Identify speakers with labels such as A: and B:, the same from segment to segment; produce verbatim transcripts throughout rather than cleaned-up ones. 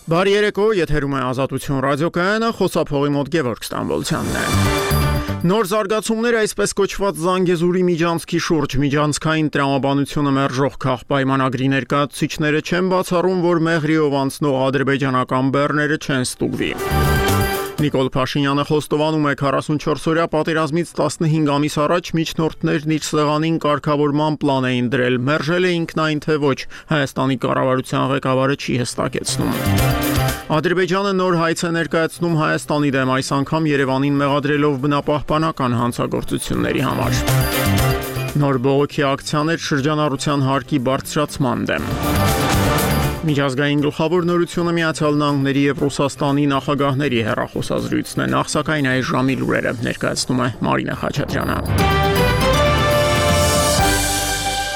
A: Բարի երեկո, եթերում է Ազատություն ռադիոկայանը, խոսափողի մոտ Գևորգ Ստամբոլցյանն է։ Նոր զարգացումներ այսպես կոչված Զանգեզուրի միջանցքի շուրջ միջանցքային տրամաբանությունը մերժող քաղաքպայմանագրի ներկայացուցիչները չեն բացառում, որ Մեղրիով անցնող ադրբեջանական բեռները չեն ստուգվի։ Նիկոլ Փաշինյանը խոստովանում է քառասունչորս-օրյա պատերազմից տասնհինգ ամիս առաջ միջնորդներն իր սեղանին կարգավորման պլան էին դրել, մերժել է ինքնայն թե ոչ, Հայաստանի կառավարության ղեկավարը չի հստակեցնում։ Ադրբեջանը նոր հայց է ներկայացնում Հայաստանի դեմ, այս անգամ Երևանին մեղադրելով բնապահպանական հանցագործությունների համար։ Նոր բողոքի ակցիաներ շրջանառության հարկի բարձրացման դեմ։ Միջազգային գլխավոր նորությունը Միացյալ Նահանգների եւ Ռուսաստանի նախագահների հեռախոսազրույցն է, նախ սակայն այս ժամի լուրերը ներկայացնում է Մարինա Խաչատրյանը։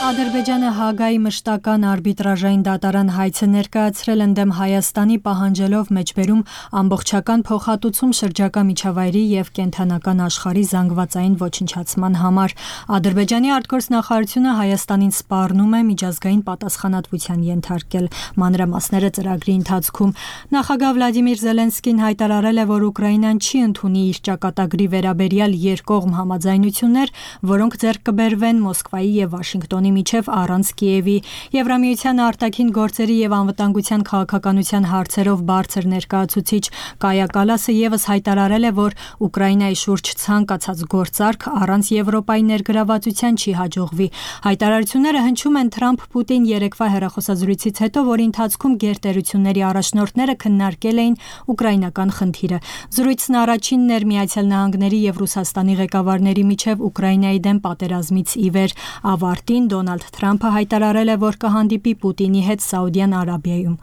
B: Ադրբեջանը Հագայի մշտական արբիտրաժային դատարան հայց է ներկայացրել ընդդեմ Հայաստանի, պահանջելով մեջբերում ամբողջական փոխհատուցում շրջակա միջավայրի եւ կենդանական աշխարհի զանգվածային ոչնչացման համար։ Ադրբեջանի արտգործնախարարությունը Հայաստանին սպառնում է միջազգային պատասխանատվության ենթարկել։ Մանրամասները ծրագրի ընթացքում նախագահ Վլադիմիր Զելենսկին հայտարարել է, որ Ուկրաինան չի ընդունի իր ճակատագրի վերաբերյալ երկկողմ համաձայնություններ, որոնք ձեռք կբերվեն Մոսկվայի եւ Վաշինգտոնի միջև առանց Կիևի։ Եվրամիության արտաքին գործերի եւ անվտանգության քաղաքականության հարցերով բարձր ներկայացուցիչ Կայա Կալասը եւս հայտարարել է, որ Ուկրաինայի շուրջ ցանկացած գործարք առանց Եվրոպայի ներգրավվածության չի հաջողվի։ Հայտարարությունները հնչում են Թրամփ-Պուտին երեկվա հեռախոսազրույցից հետո, որի ընթացքում գերտերությունների առաջնորդները քննարկել էին ուկրաինական խնդիրը։ Զրույցն առաջինն էր Միացյալ Նահանգների եւ Ռուսաստանի ղեկավարների միջև Ուկրաինայի դեմ պատերազմից ի վեր։ Ավարտին Դոնալդ Թրամփը հայտարարել է, որ կհանդիպի Պուտինի հետ Սաուդյան Արաբիայում։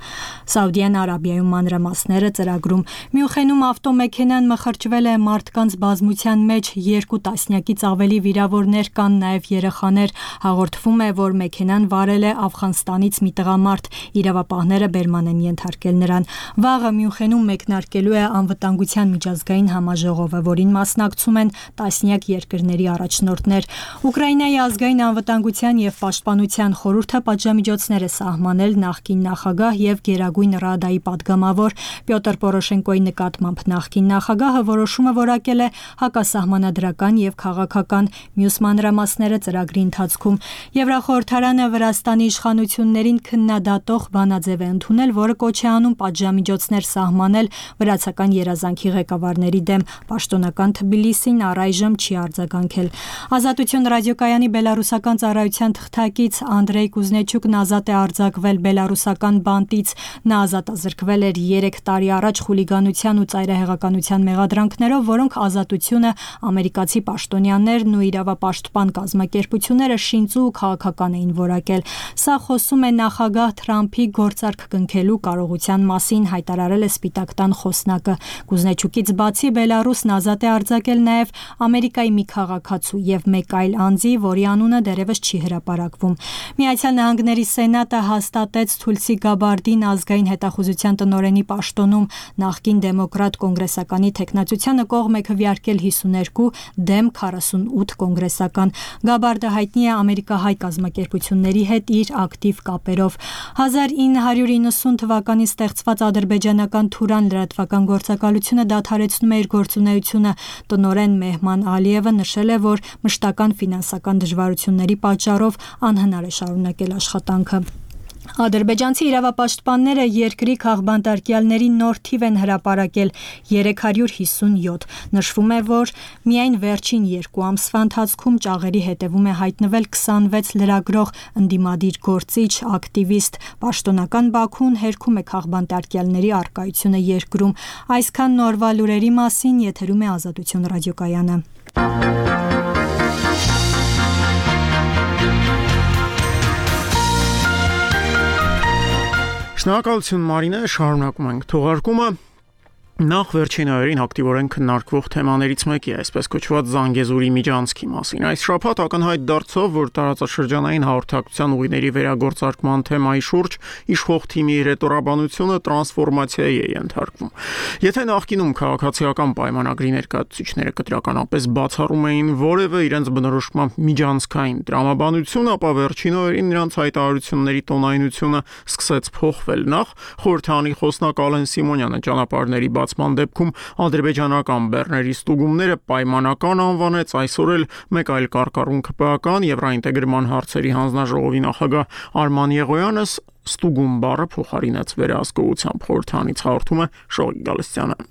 B: Սաուդյան Արաբիայում մանրամասները ծրագրում։ Մյունխենում ավտոմեքենան մխրճվել է, մարդկանց բազմության մեջ երկու տասնյակից ավելի վիրավորներ կան, նաև երեխաներ։ Հաղորդվում է, որ մեքենան վարել է Աֆղանստանից մի տղամարդ, իրավապահները բերման են ենթարկել նրան։ Վաղը Մյունխենում մեկնարկելու է անվտանգության միջազգային համաժողովը, որին մասնակցում են տասնյակ երկրների առաջնորդներ։ Ուկրաինայի ազգային անվտանգության եւ պաշտպանության խորհուրդը պատժամիջոցներ է սահմանել նախկին նախագահ եւ Գերագույն Ռադայի падգամավոր Պյոտր Պորոշենկոյի նկատմամբ։ Նախկին նախագահը որոշումը որակել է հակասահմանադրական եւ քաղաքական, մյուս մանրամասները ծրագրի ընթացքում։ Եվրախորհրդարանը Վրաստանի իշխանություններին քննադատող բանաձև է ընդունել, որը կոչ է անում պատժամիջոցներ սահմանել վրացական երազանքի ղեկավարների դեմ։ Պաշտոնական Թբիլիսին առայժմ չի արձագանքել։ Ազատություն ռադիոկայանի բելարուսական ծառայության թղթակից Անդրեյ Կուզնեչուկն ազատ է արձակվել բելարուսական բանտից։ Նա ազատազրկվել էր երեք տարի առաջ խուլիգանության ու ծայրահեղականության մեղադրանքներով, որոնք Ազատությունը, ամերիկացի պաշտոնյաներն ու իրավապաշտպան կազմակերպությունները շինծու ու քաղաքական էին որակել։ Սա խոսում է նախագահ Թրամփի գործարք կնքելու կարողության մասին, հայտարարել է Սպիտակ տան խոսնակը։ Կուզնեչուկից բացի Բելարուսն ազատ է արձակել նաև Ամերիկայի մի քաղաքացու եւ մեկ այլ անձի, որի անունը դեռևս չի հրապարակվում։ Միացյալ Նահանգների Սենատը հաստատեց Թուլսի Գաբարդին ազգային հետախուզության տնօրենի պաշտոնում, նախկին դեմոկրատ կոնգրեսականի թեկնածությանը կողմ է քվեարկել հիսուներկու, դեմ քառասունութ կոնգրեսական։ Գաբարդը հայտնի է ամերիկահայ կազմակերպությունների հետ իր ակտիվ կապերով։ հազար ինը հարյուր իննսուն թվականին ստեղծված ադրբեջանական Թուրան լրատվական գործակալությունը դադարեցնում է իր գործունեությունը։ Տնօրեն Մեհման Ալիևը նշել է, որ մշտական ֆինանսական դժվարությունների պատճառով անհնար է շարունակել աշխատանքը։ Ադրբեջանցի իրավապաշտպանները երկրի քաղբանտարկյալների նոր թիվ են հրապարակել՝ երեք հարյուր հիսունյոթ։ Նշվում է, որ միայն վերջին երկու ամսվա ընթացքում ճաղերի հետևում է հայտնվել քսանվեց լրագրող, ընդդիմադիր գործիչ, ակտիվիստ։ Պաշտոնական Բաքուն հերքում է քաղբանտարկյալների առկայությունը երկրում։ Այսքան նորվա լուրերի մասին, եթերում է Ազատություն ռադիոկայանը։
A: Շնորհակալություն Մարինե, շարունակում ենք թողարկումը։ Նախ վերջին օրերին ակտիվորեն քննարկվող թեմաներից մեկի է այսպես կոչված Զանգեզուրի միջանցքի մասին։ Այս շաբաթ ակնհայտ դարձավ, որ տարածաշրջանային հաղորդակցության ուղիների վերագործարկման թեմայի շուրջ իշխող թիմի ռետորաբանությունը տրանսֆորմացիայի է ենթարկվում։ Եթե նախկինում քաղաքացիական պայմանագրի ներկայացուցիչները կտրականապես բացառում էին որևէ իրենց բնորոշմամբ միջանցքային տրամաբանություն, ապա վերջին օրերին նրանց հայտարարությունների տոնայնությունը սկսեց փոխվել։ Նախ խորհրդանի խոսնակ Ալեն Սիմոնյանը ճանապարհների բացման դեպքում ադրբեջանական բեռների ստուգումները պայմանական անվանեց, այսօր էլ մեկ այլ կարկառուն ՔՊԱ-կան Եվրաինտեգրման հարցերի հանձնաժողովի նախագահ Արման Եղոյանը ստուգում բառը փոխարինեց վերահսկողությամբ։ Խորհրդանից հաղորդում է Շողիկ Գալստյանը։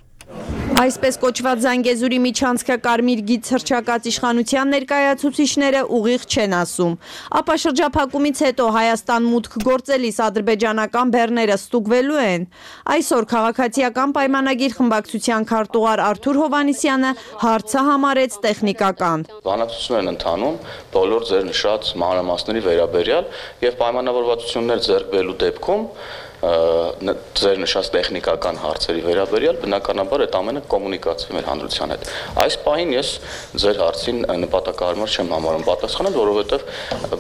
C: Այսպես կոչված Զանգեզուրի միջանցքը կարմիր գիծ հռչակած իշխանության ներկայացուցիչները ուղիղ չեն ասում։ Ապա շրջափակումից հետո Հայաստան մուտք գործելիս ադրբեջանական բեռները ստուգվելու են։ Այսօր քաղաքացիական պայմանագիր խմբակցության քարտուղար Արթուր Հովհաննիսյանը հարցը համարեց տեխնիկական։
D: Բանակցություններ են ընթանում բոլոր ձեր նշած մանրամասների վերաբերյալ եւ պայմանավորվածություններ ձեռք բերելու դեպքում ձեր նշած տեխնիկական հարցերի վերաբերյալ բնականաբար այդ ամենը կոմունիկացվի մեր հանրության հետ։ Այս պահին ես ձեր հարցին նպատակահարմար չեմ համարում պատասխանել, որովհետև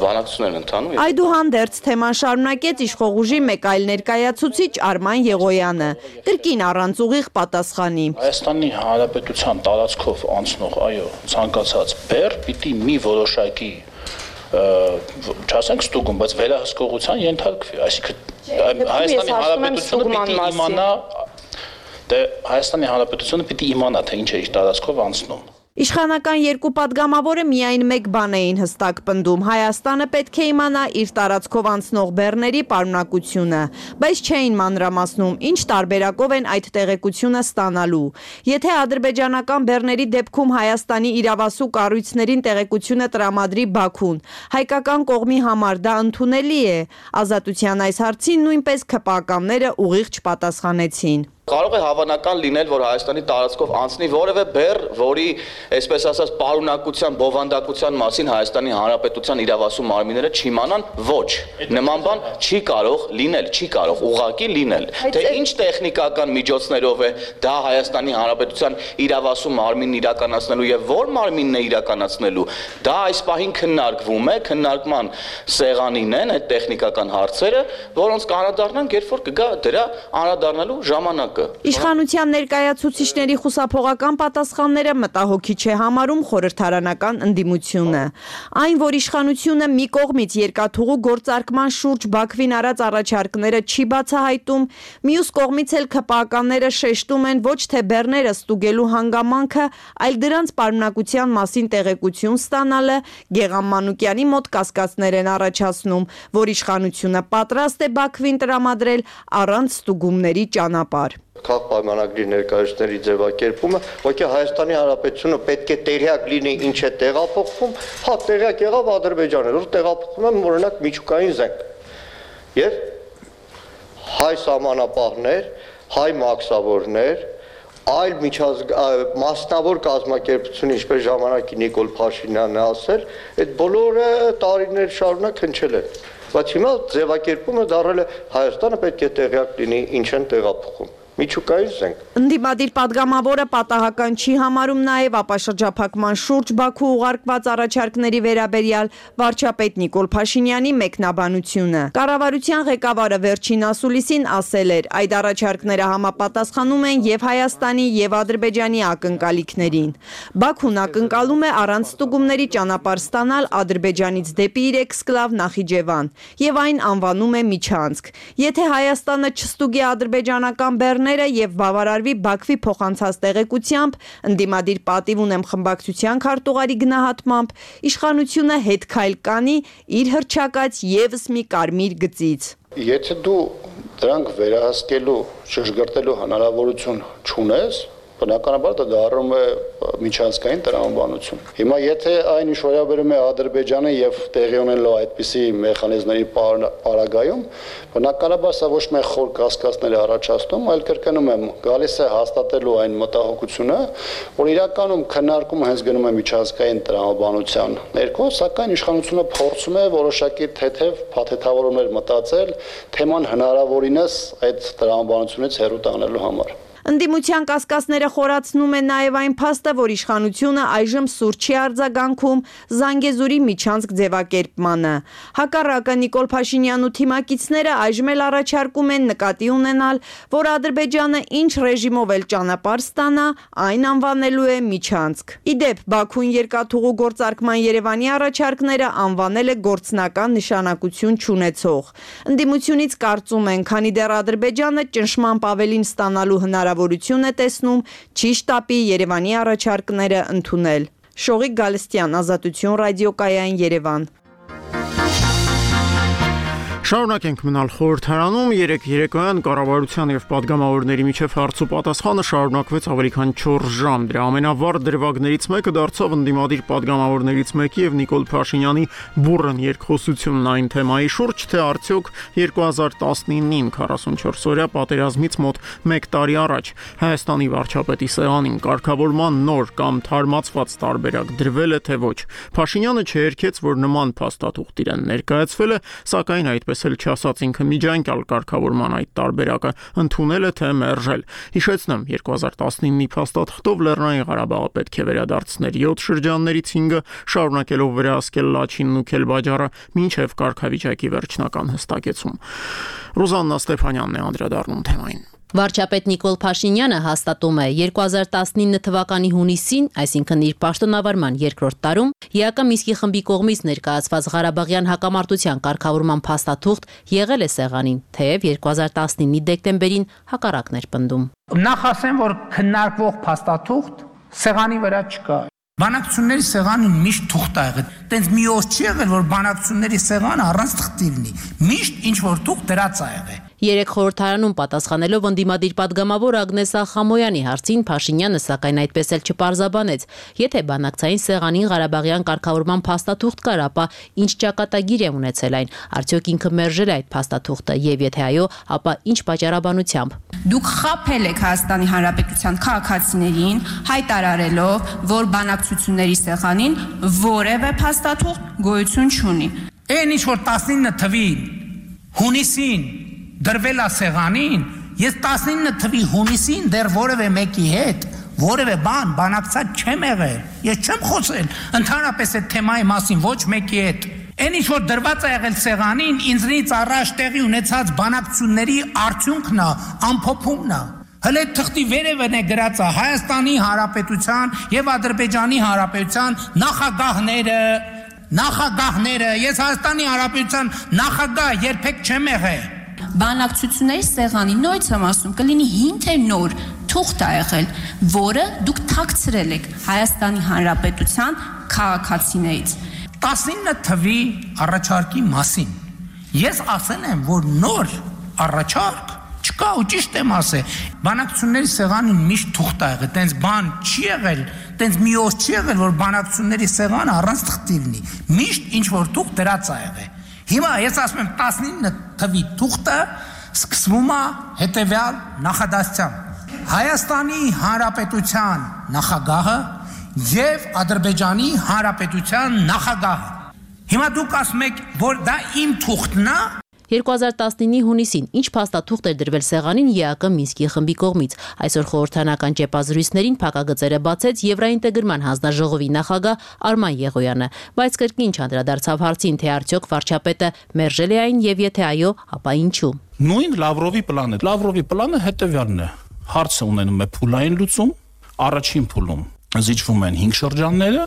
D: բանակցություններ են ընթանում։
C: Այդուհանդերձ թեման շարունակեց իշխող ուժի մեկ այլ ներկայացուցիչ Արման Եղոյանը, կրկին առանց ուղիղ պատասխանի։
E: Հայաստանի Հանրապետության տարածքով անցնող, այո, ցանկացած բեռ պիտի մի որոշակի չասենք ստուգում, բայց վերահսկողության ենթարկվի, այսինքն Հայաստանի Հանրապետությունը պիտի իմանա, դե Հայաստանի Հանրապետությունը պիտի իմանա, թե ինչ է իր տարածքով անցնում։
C: Իշխանական երկու падգամավորը միայն մեկ բան էին հստակ պնդում. Հայաստանը պետք է իմանա իր տարածքով անցնող բեռների պարունակությունը, բայց չէին մանրամասնում, ինչ տարբերակով են այդ տեղեկությունը ստանալու։ Եթե ադրբեջանական բեռների դեպքում Հայաստանի իրավասու կառույցներին տեղեկությունը տրամադրի Բաքուն, հայկական կողմի համար դա ընդունելի է։ Ազատության այս հարցին նույնպես ՔՊԱ-ականները ուղիղ չպատասխանեցին։
D: Կարող է հավանական լինել, որ Հայաստանի տարածքով անցնի որևէ բեռ, որի, այսպես ասած, պարունակության, բովանդակության մասին Հայաստանի Հանրապետության իրավասու մարմինները չիմանան, ոչ, նման բան չի կարող լինել, չի կարող ուղղակի լինել։ Թե ինչ տեխնիկական միջոցներով է դա Հայաստանի Հանրապետության իրավասու մարմինն իրականացնելու եւ որ մարմինն է իրականացնելու, դա այս պահին քննարկվում է, քննարկման սեղանին են այդ տեխնիկական հարցերը, որոնց կանադառնանք, երբ որ կգա դրա անդրադառնալու ժամանակ։
C: Իշխանության ներկայացուցիչների խուսափողական պատասխանները մտահոգիչ է համարում խորհրդարանական ընդդիմությունը։ Այն, որ իշխանությունը մի կողմից երկաթուղու գործարկման շուրջ Բաքվին արած առաջարկները չի բացահայտում, մյուս կողմից էլ ՔՊԱ-ականները շեշտում են ոչ թե բեռները ստուգելու հանգամանքը, այլ դրանց պարունակության մասին տեղեկություն ստանալը, Գեգամ Մանուկյանի մոտ կասկածներ են առաջացնում, որ իշխանությունը պատրաստ է Բաքվին տրամադրել առանց ստուգումների ճանապարհ։
F: Քաղաքապայմանագրի ներկայացուցիչների ձևակերպումը, ոչի Հայաստանի Հանրապետությունը պետք է տեղյակ լինի ինչ է տեղափոխվում, հա տեղյակ եղավ Ադրբեջանը, որ տեղափոխում են օրինակ միջուկային զենք։ Եվ հայ սահմանապահներ, հայ մաքսավորներ, այլ մասնավոր կազմակերպություն, ինչպես ժամանակի Նիկոլ Փաշինյանն է ասել, այդ բոլորը տարիներ շարունակ հնչել են։ Բայց հիմա ձևակերպումը դառել է Հայաստանը պետք է տեղյակ լինի ինչ են տեղափոխում։ Միջուկային զենք։
C: Ընդդիմադիր падգամավորը պատահական չի համարում նաև ապաշրջափակման շուրջ Բաքու ուղարկված առաջարկների վերաբերյալ վարչապետ Նիկոլ Փաշինյանի մեկնաբանությունը։ Կառավարության ղեկավարը վերջին ասուլիսին ասել էր, այդ առաջարկները համապատասխանում են եւ Հայաստանի եւ Ադրբեջանի ակնկալիքներին։ Բաքուն ակնկալում է առանց ստուգումների ճանապարհ ստանալ Ադրբեջանից դեպի իր էքսկլավ Նախիջևան եւ այն անվանում է միջանցք։ Եթե Հայաստանը չստուգի ադրբեջանական բեռ եւ բավարարվի Բաքվի փոխանցած տեղեկությամբ, ընդդիմադիր պատիվ ունեմ խմբակցության քարտուղարի գնահատմամբ, իշխանությունը հետ քայլ կանի իր հռչակած եւս մի կարմիր գծից։
E: Եթե դու դրանք վերահսկելու, շրջգրտելու հնարավորություն չունես, բնականաբար դա դառնում է միջանցքային տրամաբանություն։ Հիմա եթե այն ինչ վերաբերում է Ադրբեջանը եւ տեղի ունենալու այդպիսի մեխանիզմների պարագայում, բնականաբար սա ոչ միայն խոր կասկածներ է առաջացնում, այլ կրկնում եմ, գալիս է հաստատելու այն մտահոգությունը, որ իրականում քննարկումը հենց գնում է միջանցքային տրամաբանության ներքո, սակայն իշխանությունը փորձում է որոշակի թեթև փաթեթավորումներ մտածել թեման հնարավորինս այդ տրամաբանությունից հեռու տանելու համար։
C: Ընդդիմության կասկածները խորացնում է նաև այն փաստը, որ իշխանությունը այժմ սուր չի արձագանքում Զանգեզուրի միջանցք ձևակերպմանը։ Հակառակը Նիկոլ Փաշինյանն ու թիմակիցները այժմ էլ առաջարկում են նկատի ունենալ, որ Ադրբեջանը ինչ ռեժիմով էլ ճանապարհ ստանա, այն անվանելու է միջանցք։ Ի դեպ, Բաքուն երկաթուղու գործարկման Երևանի առաջարկները անվանել է գործնական նշանակություն չունեցող։ Ընդդիմությունից կարծում են, քանի դեռ Ադրբեջանը ճնշմամբ ավելին ստանալու հնարավորություն է տեսնում, չի շտապի Երևանի առաջարկները ընդունել։ Շողիկ Գալստյան, Ազատություն ռադիոկայան, Երևան։
A: Շարունակենք մնալ խորհրդարանում, երեկ երեկոյան կառավարության եւ պատգամավորների միջև հարց ու պատասխանը շարունակվեց ավելի քան չորս ժամ։ Դրա ամենավառ դրվագներից մեկը դարձավ ընդդիմադիր պատգամավորներից մեկի եւ Նիկոլ Փաշինյանի բուռն երկխոսությունն այն թեմայի շուրջ, թե արդյոք երկու հազար տասնինին քառասունչորս օրյա պատերազմից մոտ մեկ տարի առաջ Հայաստանի վարչապետի սեղանին կարգավորման նոր կամ թարմացված տարբերակ դրվել է թե ոչ։ Փաշինյանը չերքեց, որ նման փաստաթուղթ իրեն ներկայացվել է, սակայն այդպես էլ չասաց ինքը միջանկյալ կարգավորման այդ տարբերակը ընդունել է թե մերժել։ Հիշեցնեմ, երկու հազար տասնինի փաստաթղթով Լեռնային Ղարաբաղը պետք է վերադարձներ յոթ շրջաններից հինգը, շարունակելով վերահսկել Լաչինն ու Քելբաջարը մինչև կարգավիճակի վերջնական հստակեցում։ Ռուզաննա Ստեփանյանն է անդրադառնում թեմային։
G: Վարչապետ Նիկոլ Փաշինյանը հաստատում է երկու հազար տասնինը թվականի հունիսին, այսինքն իր պաշտոնավարման երկրորդ տարում, ԵԱԿ Մինսկի խմբի կողմից ներկայացված Ղարաբաղյան հակամարտության կարգավորման փաստաթուղթ եղել է սեղանին, թեև երկու հազար տասնինի դեկտեմբերին հակառակն էր պնդում։
H: Նախ ասեմ, որ քննարկվող փաստաթուղթ սեղանի վրա չկա։ Բանակցությունների սեղանը միշտ թուղթ է եղել։ Տենց մի օր չի եղել, որ բանակցությունների սեղանը առանց թղթի լինի։ Միշտ ինչ որ թուղթ դրած է եղել։
G: Երեք խորհրդարանում պատասխանելով ընդդիմադիր պատգամավոր Ագնես Ախամոյանի հարցին Փաշինյանը սակայն այդպես էլ չպարզաբանեց։ Եթե բանակցային սեղանին Ղարաբաղյան կարգավորման փաստաթուղթ կար, ապա ինչ ճակատագիր է ունեցել այն, արդյոք ինքը մերժել է այդ փաստաթուղթը, եւ եթե այո, ապա ինչ պատճառաբանությամբ։
I: Դուք խաբել եք Հայաստանի Հանրապետության քաղաքացիներին, հայտարարելով, որ բանակցությունների սեղանին որևէ փաստաթուղթ գոյություն չունի։
H: Այն ինչ որ տասնինը թվի հունիսին դրվել է սեղանին, ես տասնինը թվի հունիսին դեռ որևէ մեկի հետ որևէ բան բանակցած չեմ եղել։ Ես չեմ խոսել ընդհանրապես այդ թեմայի մասին ոչ մեկի հետ։ Այն ինչ որ դրված է եղել սեղանին, ինձնից առաջ տեղի ունեցած բանակցությունների արդյունքն է, ամփոփումն է։ Հələ թղթի վերևն է գրած է Հայաստանի Հանրապետության եւ Ադրբեջանի Հանրապետության նախագահները, նախագահները, ես Հայաստանի Հանրապետության նախագահ երբեք չեմ եղել։
I: Բանակցությունների սեղանի նույնց եմ ասում, կլինի հին թե նոր թուղթ է եղել, որը դուք թաքցրել եք Հայաստանի Հանրապետության քաղաքացիներից։
H: տասնինը թվի առաջարկի մասին ես ասել եմ, որ նոր առաջարկ չկա ու ճիշտ եմ ասել։ Բանակցությունների սեղանին միշտ թուղթ է եղել, տենց բան չի եղել, տենց մի օր չի եղել, որ բանակցությունների սեղանը առանց թղթի լինի։ Միշտ ինչ որ թուղթ դրած է եղել։ Հիմա ես ասում եմ տասնինը թվի թուղթը սկսվում է հետևյալ նախադասությամբ։ Հայաստանի Հանրապետության նախագահը եւ Ադրբեջանի Հանրապետության նախագահը։ Հիմա դուք ասում եք, որ դա իմ թուղթն է։
G: երկու հազար տասնինի հունիսին ինչ փաստաթուղթ էր դրվել սեղանին ԵԱԿ Մինսկի խմբի կողմից։ Այսօր խորհրդանական ճեպազրույցներին փակագծերը բացեց Եվրաինտեգրման հանձնաժողովի նախագահ Արման Եղոյանը, բայց կրկին չանդրադարձավ հարցին, թե արդյոք վարչապետը մերժել է այն եւ եթե այո, ապա ինչու։
J: Նույն Լավրովի պլանը։ Լավրովի պլանը հետեւյալն է. հարցը ունենում է փուլային լուծում, առաջին փուլում զիջվում են հինգ շրջանները,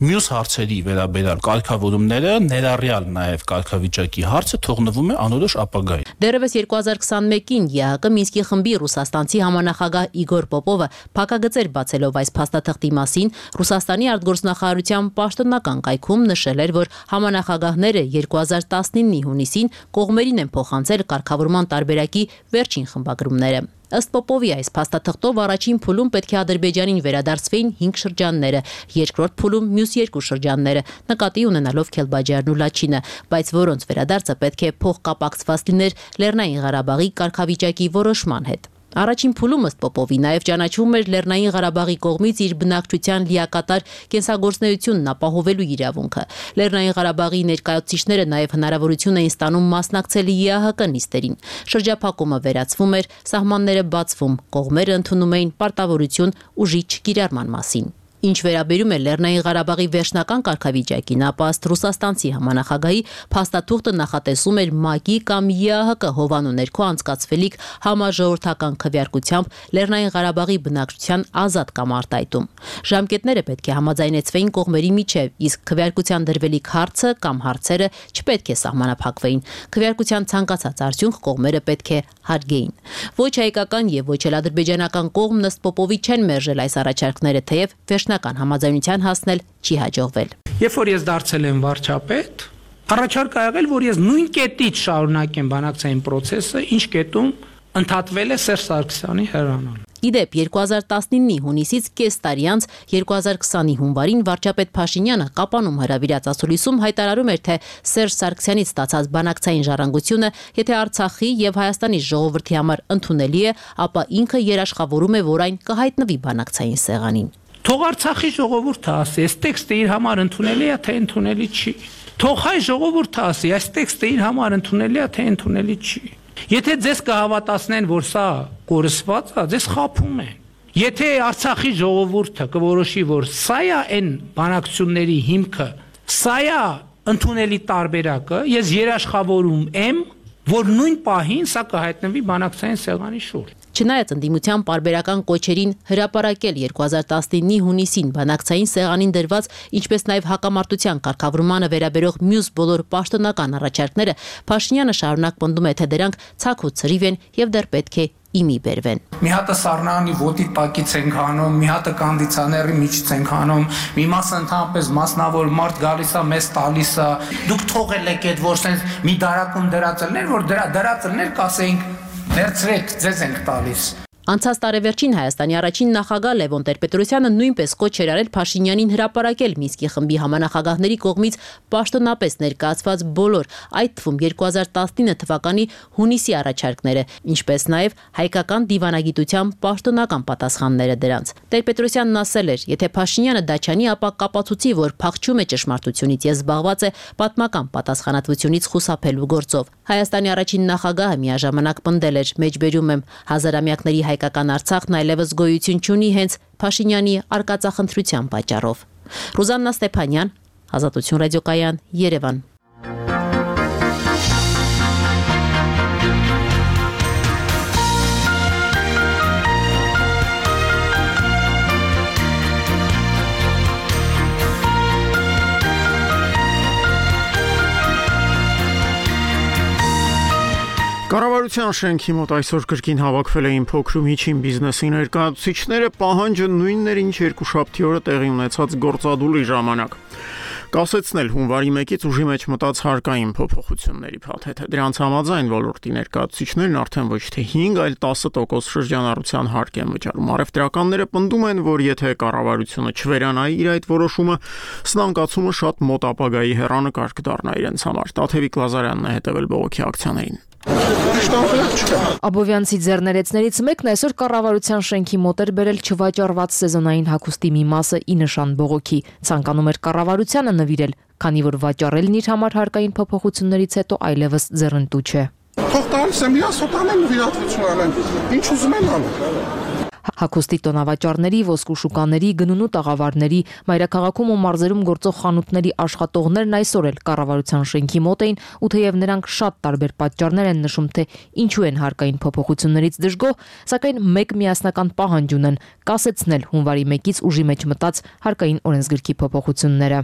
J: մյուս հարցերի վերաբերյալ կարգավորումները, ներառյալ նաև կարգավիճակի հարցը թողնվում է անորոշ ապագայի։
G: Դեռևս երկու հազար քսանմեկին ԵԱԿ Մինսկի խմբի ռուսաստանցի համանախագահ Իգոր Պոպովը փակագծեր բացելով այս փաստաթղթի մասին Ռուսաստանի արտգործնախարարության պաշտոնական կայքում նշել էր, որ համանախագահները երկու հազար տասնինի հունիսին կողմերին են փոխանցել կարգավորման տարբերակի վերջին խմբագրումները։ Ըստ Պոպովի այս փաստաթղթով առաջին փուլում պետք է Ադրբեջանին վերադարձվեին հինգ շրջանները, երկրորդ փուլում մյուս երկու շրջանները, նկատի ունենալով Քելբաջարն ու Լաչինը, բայց որոնց վերադարձը պետք է փոխկապակցված լիներ Լեռնային Ղարաբաղի կարգավիճակի որոշման հետ։ Առաջին փուլում ըստ Պոպովի նաև ճանաչվում էր Լեռնային Ղարաբաղի կողմից իր բնակչության լիակատար կենսագործունեությունն ապահովելու իրավունքը։ Լեռնային Ղարաբաղի ներկայացուցիչները նաև հնարավորություն էին ստանում մասնակցել ԵԱՀԿ նիստերին։ Շրջափակումը վերացվում էր, սահմանները բացվում, կողմերը ընդունում էին պարտավորություն ուժի չկիրառման մասին։ Ինչ վերաբերում է Լեռնային Ղարաբաղի վերջնական կարգավիճակին, ապա ըստ ռուսաստանցի համանախագահի փաստաթուղթը նախատեսում էր ՄԱԿ-ի կամ ԵԱՀԿ հովանու ներքո անցկացվելիք համաժողովրդական քվեարկությամբ Լեռնային Ղարաբաղի բնակչության ազատ կամ արտահայտում։ Ժամկետները պետք է համաձայնեցվեին կողմերի միջև, իսկ քվեարկության դրվելիք հարցը կամ հարցերը չպետք է սահմանափակվեին։ Քվեարկության ցանկացած արդյունք կողմերը պետք է հարգեին։ Ոչ հայկական եւ ոչ էլ ադրբեջանական կողմն ըստ Պոպովի չեն մերժել այս առաջարկները, թեև վերջնական համաձայնության հասնել չի հաջողվել։
H: Երբ որ ես դարձել եմ վարչապետ, առաջարկ ա եղել, որ ես նույն կետից շարունակեմ բանակցային process-ը, ինչ կետում ընդհատվել է Սերժ Սարգսյանի հեռանալը։
G: Իդեպ երկու հազար տասնինի հունիսից կես տարի անց երկու հազար քսանի հունվարին վարչապետ Փաշինյանը Կապանում հրավիրած ասուլիսում հայտարարում էր, թե Սերժ Սարգսյանից ստացած բանակցային ժառանգությունը, եթե Արցախի եւ Հայաստանի ժողովրդի համար ընդունելի է, ապա ինքը երաշխավորում է, որ այն կհայտնվի բանակցային սեղանին։
H: Թող Արցախի ժողովուրդը ասի, այս տեքստը իր համար ընդունելի է, թե ընդունելի չի։ Թող հայ ժողովուրդը ասի, այս տեքստը իր համար ընդունելի է, թե ընդունելի չի։ Եթե ձեզ կհավատացնեն, որ սա կորսված է, ձեզ խաբում են։ Եթե Արցախի ժողովուրդը կորոշի, որ սա է այն բանակցությունների հիմքը, սա է ընդունելի տարբերակը, ես երաշխավորում եմ, որ նույն պահին սա կհայտնվի բանակցային սեղանի շուրջ։
G: Չնայած ընդդիմության պարբերական կոչերին հրապարակել երկու հազար տասնինի հունիսին բանակցային սեղանին դրված, ինչպես նաև հակամարտության կարգավորմանը վերաբերող մյուս բոլոր պաշտոնական առաջարկները, Փաշինյանը շարունակ պնդում է, թե դրանք ցաք ու ցրիվ են եւ դեռ պետք է իմի բերվեն։
H: Մի հատը Սառնարանի ոտի տակից ենք հանում, մի հատը կանդիցիոների միջից ենք հանում, մի մասը ընդհանրապես մասնավոր մարդ գալիս է, մեզ տալիս է։ Դուք թողել եք այդ որ sense մի դարակում դրածելներ, որ դրա դրածելներ կասեինք վերցրեք, ձեզ ենք տալիս։
G: Անցած տարեվերջին Հայաստանի առաջին նախագահ Լևոն Տեր-Պետրոսյանը նույնպես կոչ էր արել Փաշինյանին հրապարակել Մինսկի խմբի համանախագահների կողմից պաշտոնապես ներկայացված բոլոր, այդ թվում երկու հազար տասնինը թվականի հունիսի առաջարկները, ինչպես նաև հայկական դիվանագիտության պաշտոնական պատասխանները դրանց։ Տեր-Պետրոսյանն ասել էր, եթե Փաշինյանը դա չանի, ապա կապացուցի, որ փախչում է ճշմարտությունից եւ զբաղված է պատմական պատասխանատվությունից խուսափելու գործով։ Հայաստանի առաջին նախագահը միաժամանակ պնդել էր, մեջբերում եմ, հազարամյակների հայկական Արցախն այլևս գոյություն չունի հենց Փաշինյանի արկածախնդրության պատճառով։ Ռուզաննա Ստեփանյան, Ազատություն ռադիոկայան, Երևան։
A: Կառավարության շենքի մոտ այսօր կրկին հավաքվել էին փոքր ու միջին բիզնեսի ներկայացուցիչները, պահանջը նույնն էր, ինչ երկուշաբթի օրը տեղի ունեցած գործադուլի ժամանակ։ Կասեցնել հունվարի մեկից ուժի մեջ մտած հարկային փոփոխությունների փաթեթը։ Դրանց համաձայն ոլորտի ներկայացուցիչներն արդեն ոչ թե հինգ, այլ տասը տոկոս շրջանառության հարկ են վճարում։ Առևտրականները պնդում են, որ եթե կառավարությունը չվերանայի իր այդ որոշումը, սնանկացումը շատ մոտ ապագայի հեռանկար կդառնա իրենց համար։ Տաթևիկ Լազարյանն է հետևել բողոքի ակցիաներին։
K: Աբովյանցի ձեռներեցներից մեկն այսօր կառավարության շենքի մոտ էր բերել չվաճառված սեզոնային հագուստի մի մասը ի նշան բողոքի։ Ցանկանում էր կառավարությանը նվիրել, քանի որ վաճառելն իր համար հարկային փոփոխություններից հետո այլևս ձեռնտու չէ։
L: Թող տալիս եմ իրաց սոտանեմ նվիրատվություն անեմ, ինչ ուզում են անում։
K: Հագուստի տոնավաճառների, ոսկու շուկաների, գնունու տաղավարների, մայրաքաղաքում ու մարզերում գործող խանութների աշխատողներն այսօր էլ կառավարության շենքի մոտ էին, ու թեև նրանք շատ տարբեր պատճառներ են նշում, թե ինչու են հարկային փոփոխություններից դժգոհ, սակայն մեկ միասնական պահանջ ունեն՝ կասեցնել հունվարի մեկից ուժի մեջ մտած հարկային օրենսգրքի փոփոխությունները։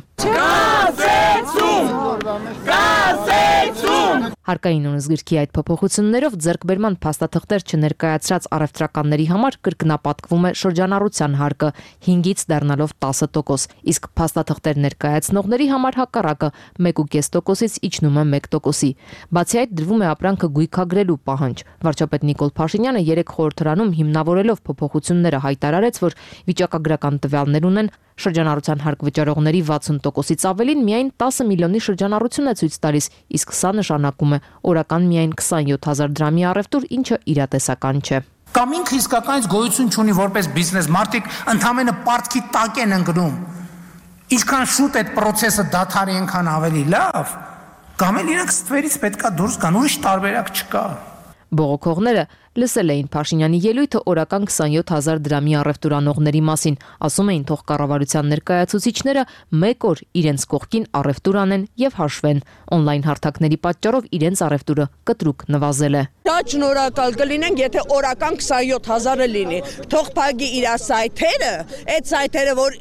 K: Հարկային օրենսգրքի այդ փոփոխություններով ձեռքբերման փաստաթղթեր չներկայացրած առևտրականների համար կրկնապատկվում է շրջանառության հարկը հինգից դառնալով տասը տոկոս, իսկ փաստաթղթեր ներկայացնողների համար հակառակը մեկ ու կես տոկոսից իջնում է մեկ տոկոսի։ Բացի այդ դրվում է ապրանքը գույքագրելու պահանջ։ Վարչապետ Նիկոլ Փաշինյանը երեք խորհրդարանում հիմնավորելով փոփոխությունները հայտարարեց, որ վիճակագրական տվյալներ ունեն շրջանառության հարկ վճարողների վաթսուն տոկոսից ավելին միայն տասը միլիոնի շրջանառություն է ցույց տալիս, իսկ սա նշանակում է օրական միայն քսանյոթ հազար դրամի առևտուր, ինչը իրատեսական չէ։
H: Կամ ինքը իսկականից գոյություն չունի որպես բիզնես, մարդիկ ընդհանրապես պարտքի տակ են ընկնում։ Ինչքան շուտ այդ process-ը դադարի, այնքան ավելի լավ, կամ էլ իրենք ստվերից պետքա դուրս գան, ուրիշ տարբերակ չկա։
K: Բողոքողները լսել էին Փաշինյանի ելույթը օրական քսանյոթ հազար դրամի առևտուրանողների մասին, ասում էին թող կառավարության ներկայացուցիչները մեկ օր իրենց կողքին առևտուր անեն եւ հաշվեն։ Օնլայն հարթակների պատճառով իրենց առևտուրը կտրուկ նվազել է։
M: Շատ շնորհակալ կլինենք, եթե օրական քսանյոթ հազարը լինի։ Թող փակի իր սայթերը, այդ սայթերը, որ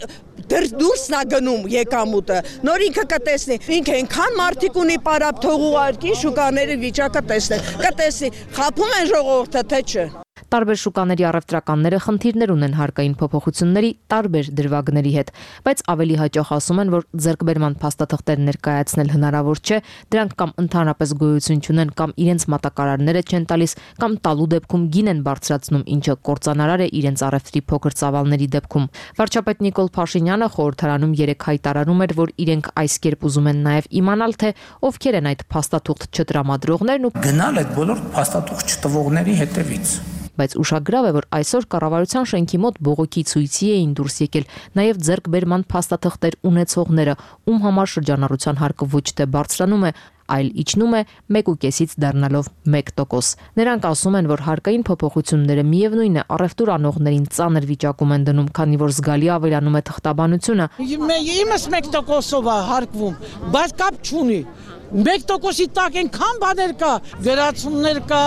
M: դուրսն է գնում եկամուտը, նոր ինքը կտեսնի, ինքը այնքան մարդիկ ունի պարապ, թող ուղարկի շուկաների վիճակը տեսնի, կտեսնի, խաբում են ժողովուրդը, թե չէ։
K: Տարբեր շուկաների առևտրականները խնդիրներ ունեն հարկային փոփոխությունների տարբեր դրվագների հետ, բայց ավելի հաճախ ասում են, որ ձեռքբերման փաստաթղթեր ներկայացնել հնարավոր չէ, դրանք կամ ընդհանրապես գոյություն չունեն, կամ իրենց մատակարարները չեն տալիս, կամ տալու դեպքում գին են բարձրացնում, ինչը կործանարար է իրենց առևտրի փոքր ծավալների դեպքում։ Վարչապետ Նիկոլ Փաշինյանը խորհրդարանում երեկ հայտարարում էր, որ իրենք այս կերպ ուզում են նաև իմանալ, թե ովքեր են այդ փաստաթուղթ չտրամադրողներն ու
H: գնալ այդ բոլոր փաստաթուղթ չտվողների հետևից։
K: Բայց ուշագրավ է, որ այսօր կառավարության շենքի մոտ բողոքի ցույցի էին դուրս եկել նաև ձեռքբերման փաստաթղթեր ունեցողները, ում համար շրջանառության հարկը ոչ թե բարձրանում է, այլ իջնում է մեկ ու կեսից դառնալով մեկ տոկոս։ Նրանք ասում են, որ հարկային փոփոխությունները միևնույն է առևտուր անողներին ծանր վիճակում են դնում, քանի որ զգալի ավելանում է թղթաբանությունը։
N: Իմս մեկ տոկոսով է հարկվում, բայց կապ չունի։ Մեկ տոկոսի տակ այնքան բաներ կա, վերացումներ կա,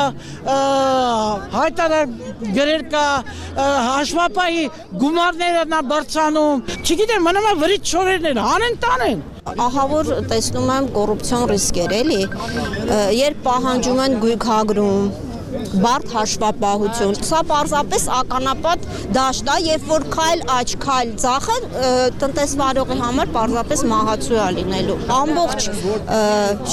N: հայտարարներ կա, հաշվապահի գումարները նա բարձրանում, չգիտեմ, մնում է վրից շորերներ, հանեն տանեն։
O: Ահա որ տեսնում եմ կոռուպցիոն ռիսկեր էլի, երբ պահանջում են գույքագրում, բարդ հաշվապահություն։ Սա պարզապես ականապատ դաշտ է, երբ որ քայլ աճ, քայլ ձախը տնտեսվարողի համար պարզապես մահացու է լինելու։ Ամբողջ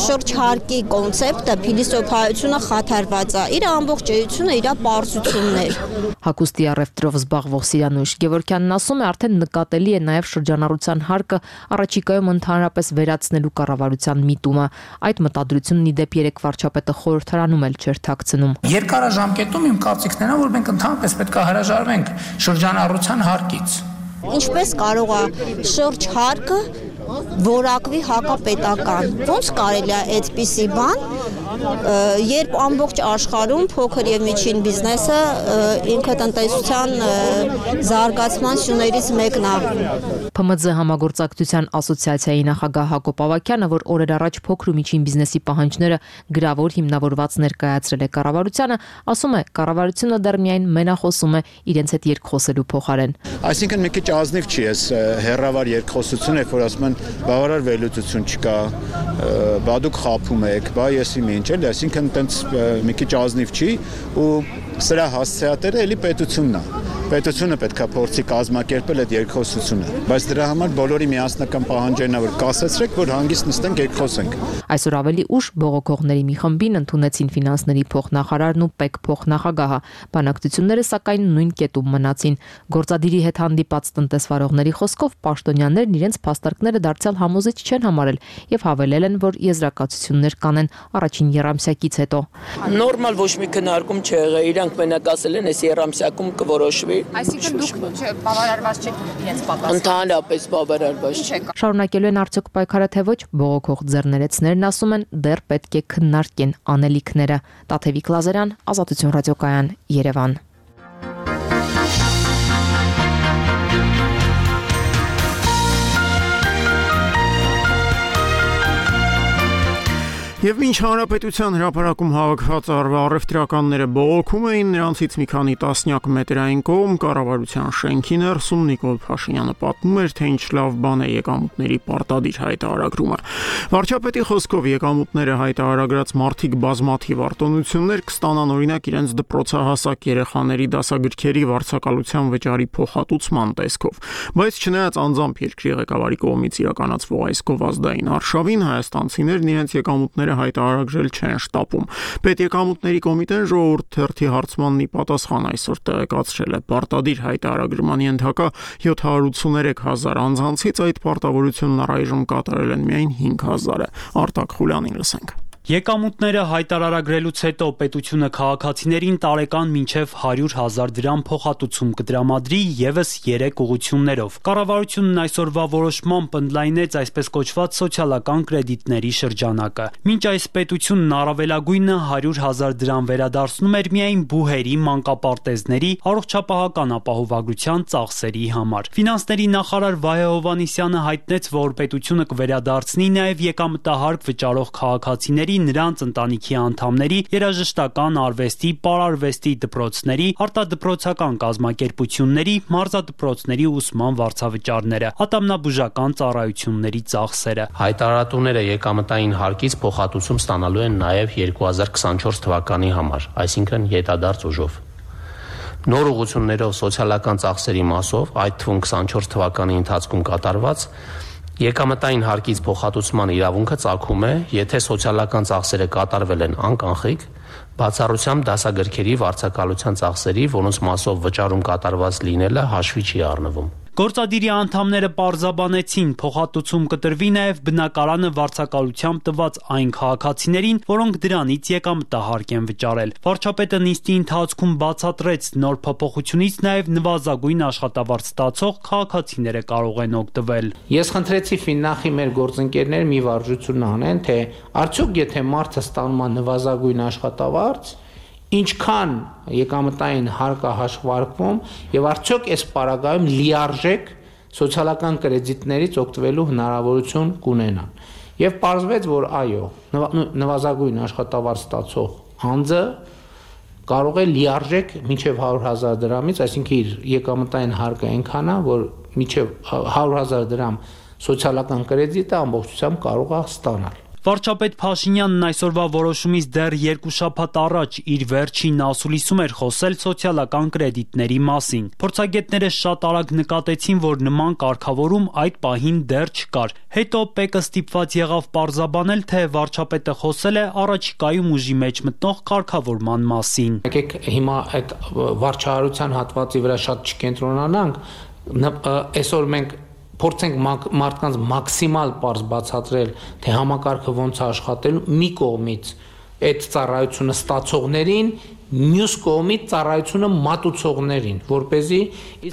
O: շրջհարկի կոնցեպտը, փիլիսոփայությունը խաթարված է։ Իր ամբողջ էությունը իր պարզություններ։
K: Հագուստի առևտրով զբաղվող Սիրանուշ Գևորգյանն ասում է, արդեն նկատելի է նաև շրջանառության հարկը առաջիկայում ընդհանրապես վերացնելու կառավարության միտումը։ Այդ մտադրությունն ի դեպ երեք վարչապետը խորհրդարանում էլ չէր թաքցնում։
H: Երկարաժամկետում իմ կարծիքն է, որ մենք ընդհանրապես պետք է հրաժարվենք շրջանառության հարկից։
O: Ինչպես կարող է շրջհարկը որակվի հակապետական։ Ոնց կարելի է այդպիսի բան, երբ ամբողջ աշխարհում փոքր եւ միջին բիզնեսը ինքը տնտեսության զարգացման սյուներից մեկն է։
K: Փ M Z համագործակցության ասոցիացիայի նախագահ Հակոբ Ավագյանը, որ օրեր առաջ փոքր ու միջին բիզնեսի պահանջները գրավոր հիմնավորված ներկայացրել է կառավարությանը, ասում է, կառավարությունը դեռ միայն մենախոսում է իրենց հետ երկխոսելու փոխարեն։
P: Այսինքն մի քիչ ազնիվ չի էս հերրավար երկխոսությունը, որ ասում են բավարար վերլուծություն չկա, բա դուք խափում եք, բա եսի ինչ էլ, այսինքն տենց մի քիչ ազնիվ չի ու սրա հասցեատերը էլի պետությունն է։ Պետությունը պետք է փորձի կազմակերպել այդ երկխոսությունը, բայց դրա համար բոլորի միասնական պահանջն է, որ կասեցրեք, որ հանգիստ նստենք երկխոսենք։
K: Այսօր ավելի ուշ բողոքողների մի խմբին ընդունեցին ֆինանսների փոխնախարարն ու ՊԵԿ փոխնախագահը։ Բանակցությունները սակայն նույն կետում մնացին։ Գործադիրի հետ հանդիպած տնտեսվարողների խոսքով պաշտոնյաներն իրենց փաստարկները դարձյալ համոզիչ չեն համարել եւ հավելել են, որ եզրակացություններ կանեն առաջին եռամսյակից հետո։
M: Նորմալ ոչ մի քննարկում չի եղել, իրանք մենակ ասել են, այս եռամսյակում կորոշվի։
Q: Այսինքն դուք բավարարված չեք իրենց պատասխանը։
M: Ընդհանրապես բավարարված չեք։
K: Շարունակելու են արդյոք պայքարը թե ոչ, բողոքող ձեռներեցներն ասում են, դեռ պետք է քննարկեն անելիքները։ Տաթևիկ Լազարյան, Ազատություն ռադիոկայան, Երևան։
A: Եվ մինչ հանրապետության հրապարակում հավաքված առևտրականները բողոքում էին, նրանցից մի քանի տասնյակ մետրային կողմ կառավարության շենքի ներսում Նիկոլ Փաշինյանը պատմում էր, թե ինչ լավ բան է եկամուտների պարտադիր հայտարարումը։ Վարչապետի խոսքով եկամուտները հայտարարած մարդիկ բազմաթիվ արտոնություններ կստանան, օրինակ իրենց դպրոցահասակ երեխաների դասագրքերի վարձակալության վճարի փոխհատուցման տեսքով, բայց չնայած անձամբ երկրի ղեկավարի կողմից իրականացվող այս գովազդային արշավին, հայաստանցիներն իրենց եկամուտները հայտարարել չեն շտապում։ Պետեկամուտների կոմիտեն ժողովուրդ թերթի հարցմանն ի պատասխան այսօր տեղեկացրել է պարտադիր հայտարարման ենթակա յոթ հարյուր ութսուներեք հազար անձանցից այդ պարտավորությունն առայժմ կատարել են միայն հինգ հազարը։ Արտակ Խուլյանին լսենք։
R: Եկամուտները հայտարարագրելուց հետո պետությունը քաղաքացիներին տարեկան մինչև հարյուր հազար դրամ փոխհատուցում կտրամադրի ևս երեք ուղղություններով։ Կառավարությունն այսօրվա որոշմամբ ընդլայնեց այսպես կոչված սոցիալական կրեդիտների շրջանակը։ Մինչ այս պետությունն առավելագույնը հարյուր հազար դրամ վերադարձնում էր միայն բուհերի, մանկապարտեզների, առողջապահական ապահովագրության ծախսերի համար։ Ֆինանսների նախարար Վահե Հովհաննիսյանը հայտնեց, որ պետությունը կվերադարձնի նաև եկամտահարկ վճարող քաղաքացիների, նրանց ընտանիքի անդամների, երաժշտական, արվեստի, պարարվեստի դպրոցների, արտադպրոցական կազմակերպությունների, մարզադպրոցների ուսման վարձավճարները, ատամնաբուժական ծառայությունների ծախսերը։
S: Հայտարարատուները եկամտային հարկից փոխհատուցում ստանալու են նաև երկու հազար քսանչորս թվականի համար, այսինքն յետադարձ ուժով։ Նոր ուղղություններով սոցիալական ծախսերի մասով, այդ թվում քսանչորս թվականի ընթացքում կատարված, եկամտային հարկից փոխհատուցման իրավունքը ծագում է, եթե սոցիալական ծախսերը կատարվել են անկանխիկ, բացառությամբ դասագրքերի վարձակալության ծախսերի, որոնց մասով վճարում կատարված լինելը հաշվի չի առնվում։
R: Գործադիրի անդամները պարզաբանեցին, փոխհատուցում կտրվի նաև բնակարանը վարձակալությամբ տված այն քաղաքացիներին, որոնք դրանից եկամտահարկ են վճարել։ Վարչապետը նիստի ընթացքում բացատրեց, նոր փոփոխությունից նաև նվազագույն աշխատավարձ ստացող քաղաքացիները կարող են օգտվել։
H: Ես խնդրեցի Ֆիննախի մեր գործընկերներ մի վարժություն անեն, թե արդյոք եթե մարդը ստանում է նվազագույն աշխատավարձ, ինչքան եկամտային հարկ է հաշվարկվում եւ արդյոք այս պարագայում լիարժեք սոցիալական կրեդիտներից օգտվելու հնարավորություն կունենան։ Եվ պարզվեց, որ այո, նվազագույն աշխատավարձ ստացող անձը կարող է լիարժեք մինչև հարյուր հազար դրամից, այսինքն իր եկամտային հարկը այնքան է, որ մինչև հարյուր հազար դրամ սոցիալական կրեդիտը ամբողջությամբ կարող է ստանալ։
R: Վարչապետ Փաշինյանն այսօրվա որոշումից դեռ երկու շաբաթ առաջ իր վերջին ասուլիսում էր խոսել սոցիալական կրեդիտների մասին։ Փորձագետները շատ արագ նկատեցին, որ նման կարգավորում այդ պահին դեռ չկար։ Հետո ՊԵԿ-ը ստիպված եղավ պարզաբանել, թե վարչապետը խոսել է առաջիկայում ուժի մեջ մտնող կարգավորման մասին։
H: Եկեք հիմա այդ վարչահարության հատվածի վրա շատ չկենտրոնանանք, այսօր մենք փորձենք մարդկանց մաքսիմալ պարզ բացատրել, թե համակարգը ոնց է աշխատելու մի կողմից այդ ծառայությունը ստացողներին, մյուս կողմից ծառայությունը մատուցողներին, որպեսզի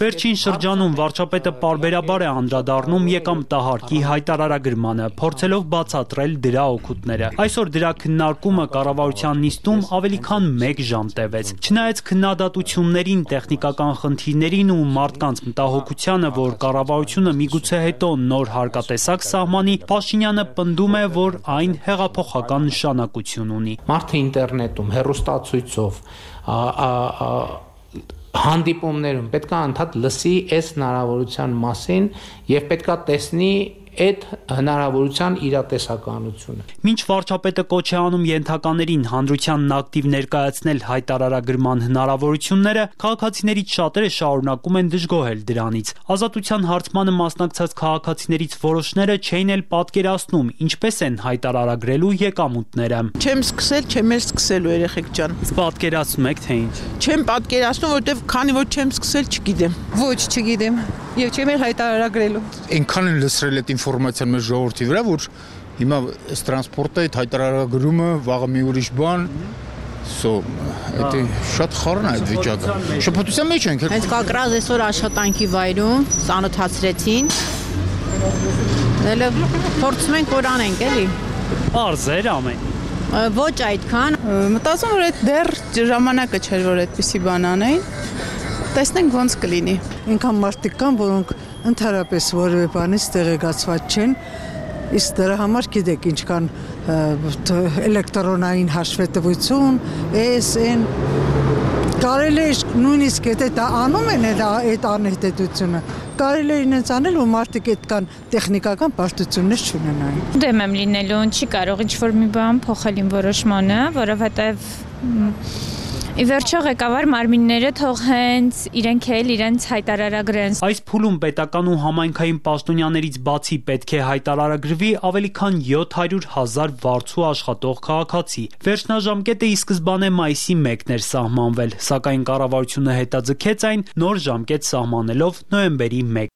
R: Վերջին շրջանում վարչապետը պարբերաբար է անդրադառնում եկամտահարկի հայտարարագրմանը, փորձելով բացատրել դրա օգուտները։ Այսօր դրա քննարկումը կառավարության նիստում ավելի քան մեկ ժամ տևեց։ Չնայած քննադատություններին, տեխնիկական խնդիրներին ու մարդկանց մտահոգությանը, որ կառավարությունը միգուցե հետո նոր հարկատեսակ սահմանի, Փաշինյանը պնդում է, որ այն հեղափոխական նշանակություն ունի։
H: Մարդը ինտերնետում, հեռուստացույցով հանդիպումներում պետք է անդադ լսի այս հնարավորության մասին եւ պետք է տեսնի այդ հնարավորության իրատեսականությունը։
R: Մինչ վարչապետը կոչ է անում ենթականերին հանրությանն ակտիվ ներկայացնել հայտարարագրման հնարավորությունները, քաղաքացիներից շատերը շարունակում են դժգոհել դրանից։ Ազատության հարցմանը մասնակցած քաղաքացիներից որոշները չէին էլ պատկերացնում, ինչպես են հայտարարագրելու եկամուտները։
N: Չեմ սկսել, չեմ էլ սկսելու երեխեք ջան։
R: Պատկերացնում եք թե ինչ։
N: Չեմ պատկերացնում, որտեվ քանի որ չեմ սկսել, չգիտեմ։
T: Ոչ, չգիտեմ։ Եվ չեմ էլ հայտարարագրելու։
P: Այնքան են լսրել այդ ինֆորմացիան մեր ժողովրդի վրա, որ հիմա այս տրանսպորտը, այդ հայտարարագրումը, վաղը մի ուրիշ բան, սո, դա շատ խառն է այդ վիճակը։ Շփոթության մեջ ենք։
T: Հենց կակրած այսօր աշխատանքի վայրում ծանոթացրեցին։ Դե փորձում ենք որ անենք, էլի։
R: Պարզեր ամեն։
T: Ոչ այդքան։ Մտածում որ այդ դեռ ժամանակը չէր, որ այդպիսի բան անեին։ Տեսնենք ոնց կլինի։
U: Ինքան մարդիկ կան, որոնք ընդհանրապես որևէ բանից տեղեկացված չեն, իսկ դրա համար գիտեք ինչքան էլեկտրոնային հաշվետվություն, էս են կարելի է նույնիսկ եթե դա անում են այդ անհետեթությունը, կարելի է ինձ անել, որ մարդիկ այդքան տեխնիկական բարդություններ չունենային։
V: Դեմ եմ լինելու, չի կարող ինչ-որ մի բան փոխել իմ որոշմանը, որովհետև ի վերջո ղեկավար մարմինները թող հենց իրենք էլ իրենց հայտարարագրեն։
R: Այս փուլում պետական ու համայնքային պաշտոնյաներից բացի պետք է հայտարարագրվի ավելի քան յոթ հարյուր հազար վարձու աշխատող քաղաքացի։ Վերջնաժամկետը ի սկզբանե մայիսի մեկն էր սահմանվել, սակայն կառավարությունը հետաձգեց այն նոր ժամկետ սահմանելով նոյեմբերի մեկ։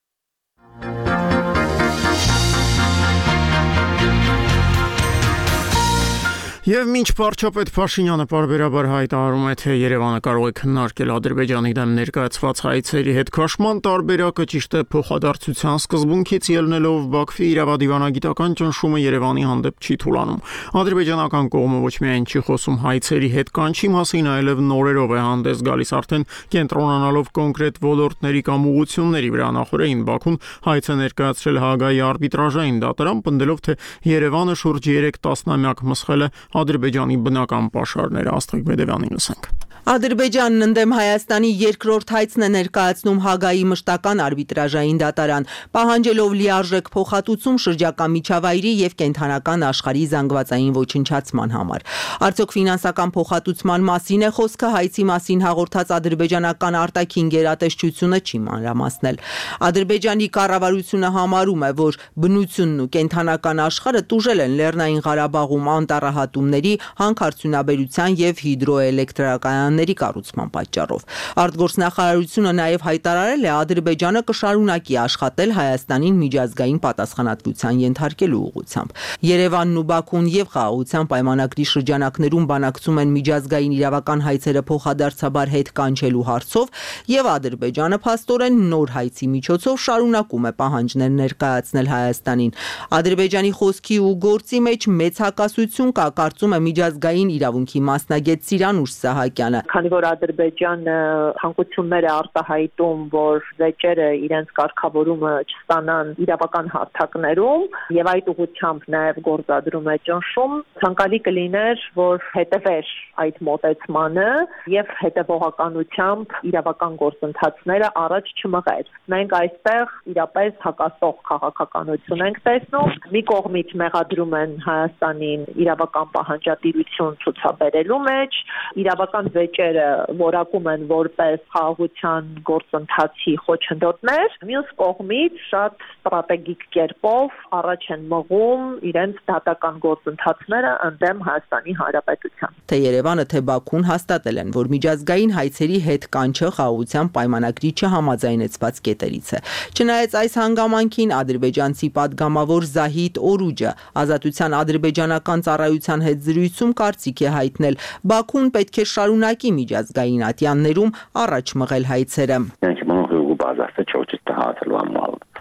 A: Եվ մինչ վարչապետ Փաշինյանը պարբերաբար հայտարարում է, թե Երևանը կարող է քննարկել Ադրբեջանի դեմ ներկայացված հայցերի հետ քաշման տարբերակը ճիշտ է փոխադարձության սկզբունքից ելնելով Բաքվի իրավադիվանագիտական ճնշումը Երևանի հանդեպ չի թուլանում։ Ադրբեջանական կողմը ոչ միայն չի խոսում հայցերի հետ կանչի մասին, այլև նորերով է հանդես գալիս արդեն կենտրոնանալով կոնկրետ ոլորտների կամ ուղղությունների վրա։ Նախորդին Բաքուն հայց է ներկայացրել Հաագայի արբիտրաժային դատարան, պնդելով, թե Երևանը շուրջ երեք տասնամյակ մսխել է Ադրբեջանի բնական պաշարները։ Աստղիկ Բեդևյանին լսենք։
B: Ադրբեջանն ընդդեմ Հայաստանի երկրորդ հայցն է ներկայացնում Հաագայի մշտական արբիտրաժային դատարան, պահանջելով լիարժեք փոխհատուցում շրջակա միջավայրի եւ կենդանական աշխարհի զանգվածային ոչնչացման համար։ Արդյոք ֆինանսական փոխհատուցման մասին է խոսքը, հայցի մասին հաղորդած ադրբեջանական արտաքին գերատեսչությունը չի մանրամասնել։ Ադրբեջանի կառավարությունը համարում է, որ բնությունն ու կենդանական աշխարհը տուժել են Լեռնային Ղարաբաղում անտառահատումների, հանքարդյունաբերության եւ հիդրոէլեկտրական ների կառուցման պատճառով։ Արտգործնախարարությունը նաև հայտարարել է, Ադրբեջանը կշարունակի աշխատել Հայաստանին միջազգային պատասխանատվության ենթարկելու ուղղությամբ։ Երևանն ու Բաքուն եւ Խաղաղության պայմանագրի շրջանակներում բանակցում են միջազգային իրավական հայցերը փոխադարձաբար հետ կանչելու հարցով, եւ Ադրբեջանը փաստորեն նոր հայցի միջոցով շարունակում է պահանջներ ներկայացնել Հայաստանին։ Ադրբեջանի խոսքի ու գործի մեջ մեծ հակասություն կա, կարծում է միջազգային իրավունքի մասնագետ Սիրանուշ Սահակյանը։
D: Քանի որ Ադրբեջանը ցանկություններ է արտահայտում, որ վեճերը իրենց կարգավորումը չստանան իրավական հարթակներում եւ այդ ուղղությամբ նաեւ գործադրում է ճնշում, ցանկալի կլիներ, որ հետևեր այդ մոտեցմանը եւ հետեւողականությամբ իրավական գործընթացները առաջ չմղեր։ Մենք այստեղ իրապես հակասող քաղաքականություն ենք տեսնում։ Մի կողմից մեղադրում են Հայաստանին իրավական պահանջատիրություն ցուցաբերելու մեջ, իրավական վեճերը որակում են որպես խաղաղության գործընթացի խոչընդոտներ, մյուս կողմից շատ ստրատեգիկ կերպով առաջ են մղում իրենց դատական գործընթացները ընդդեմ Հայաստանի Հանրապետության։
B: Թե Երևանը, թե Բաքուն հաստատել են, որ միջազգային հայցերի հետ կանչը խաղաղության պայմանագրի չհամաձայնեցված կետերից է։ Չնայած այս հանգամանքին ադրբեջանցի պատգամավոր Զահիդ Օրուջը ազատության ադրբեջանական ծառայության հետ զրույցում կարծիք է հայտնել, Բաքուն պետք է շարունակի միջազգային ատյաններում առաջ մղել հայցերը։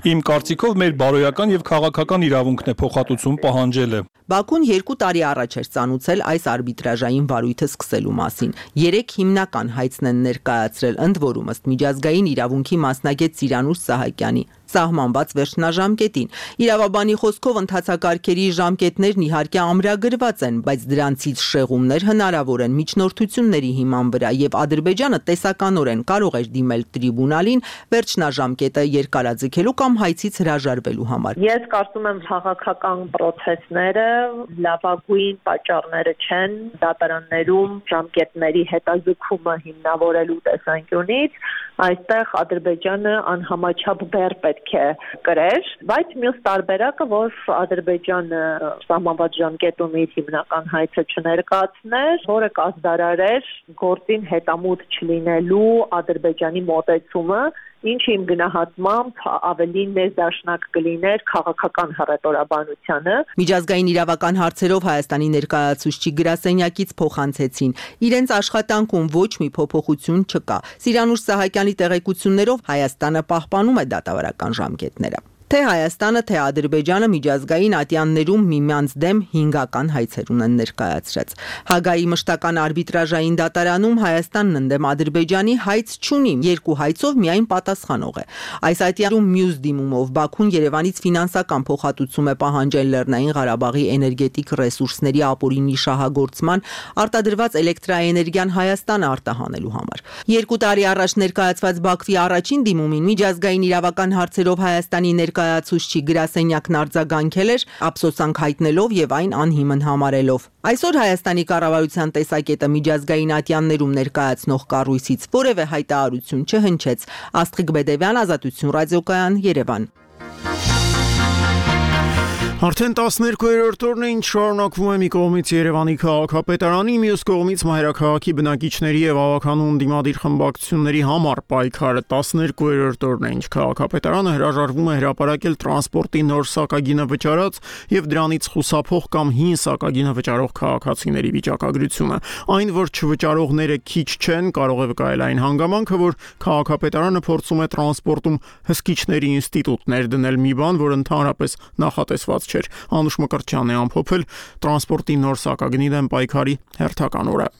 W: Իմ կարծիքով մեր բարոյական եւ քաղաքական իրավունքն է փոխհատուցում պահանջելը։
B: Բաքուն երկու տարի առաջ էր ծանուցել այս արբիտրաժային վարույթը սկսելու մասին։ Երեք հիմնական հայցն են ներկայացրել, ընդ որում ըստ միջազգային իրավունքի մասնագետ Սիրանուշ Սահակյանի սահմանված վերջնաժամկետին։ Իրավաբանի խոսքով ընթացակարգերի ժամկետներն իհարկե ամրագրված են, բայց դրանցից շեղումներ հնարավոր են միջնորդությունների հիման վրա եւ Ադրբեջանը տեսականորեն կարող էր դիմել տրիբունալին վերջնաժամկետը երկարաձգելու կամ հայցից հրաժարվելու համար։
D: Ես կարծում եմ քաղաքական process-ները լավագույն պատճառները չեն դատարաններում ժամկետների հետաձգումը հիմնավորելու տեսանկյունից, այստեղ Ադրբեջանը անհամաչափ բեռ պետք է կրեր, բայց մյուս տարբերակը, որ Ադրբեջանը սահմանված ժամկետում իր հիմնական հայցը չներկայացներ, որը կազդարարեր գործին հետամուտ չլինելու Ադրբեջանի մոտեցումը, ինչը իմ գնահատմամբ ավելի ներդաշնակ կլիներ քաղաքական հռետորաբանությանը։
B: Միջազգային իրավական հարցերով Հայաստանի ներկայացուցիչ գրասենյակից փոխանցեցին, իրենց աշխատանքում ոչ մի փոփոխություն չկա։ Սիրանուշ Սահակյանի տեղեկություններով Հայաստանը պահպանում է դատավարական ժամկետները։ Թե Հայաստանը, թե Ադրբեջանը միջազգային ատյաններում միմյանց դեմ հինգական հայցեր ունեն ներկայացրած։ Հաագայի մշտական արբիտրաժային դատարանում Հայաստանն ընդդեմ Ադրբեջանի հայց չունի, երկու հայցով միայն պատասխանող է։ Այս ատյանում մյուս դիմումով Բաքուն Երևանից ֆինանսական փոխհատուցում է պահանջել Լեռնային Ղարաբաղի էներգետիկ ռեսուրսների ապօրինի շահագործման, արտադրված էլեկտրաէներգիան Հայաստանը արտահանելու համար։ Երկու տարի առաջ ներկայացված Բաքվի առաջին դիմումին միջազգային իրավական հարցերով Հայաստանի ներկայացուցիչ գրասենյակն արձագանքել էր, ափսոսանք հայտնելով եւ այն անհիմն համարելով։ Այսօր Հայաստանի կառավարության տեսակետը միջազգային ատյաններում ներկայացնող կառույցից որևէ հայտարարություն չհնչեց։ Աստղիկ Բեդևյան, Ազատություն ռադիոկայան, Երևան։
A: Արդեն տասներկուերորդ օրն է, ինչ շարունակվում է մի կողմից Երևանի քաղաքապետարանի, մյուս կողմից մայրաքաղաքի բնակիչների եւ ավականուն դիմադիր խմբակցությունների համար պայքարը։ տասներկուերորդ օրն է, ինչ քաղաքապետարանը հրաժարվում է հրապարակել տրանսպորտի նոր սակագինը վճարած եւ դրանից խուսափող կամ հին սակագինը վճարող քաղաքացիների վիճակագրությունը։ Այն, որ չվճարողները քիչ չեն, կարող է վկայել այն հանգամանքը, որ քաղաքապետարանը փորձում է տրանսպորտում հսկիչների ինստիտուտ ներդնել մի բան, որ ընդհանրապես նախատեսված չէր։ Անուշ Մկրտչյանն է ամփոփել տրանսպորտի նոր սակագնի դեմ պայքարի հերթական օրը։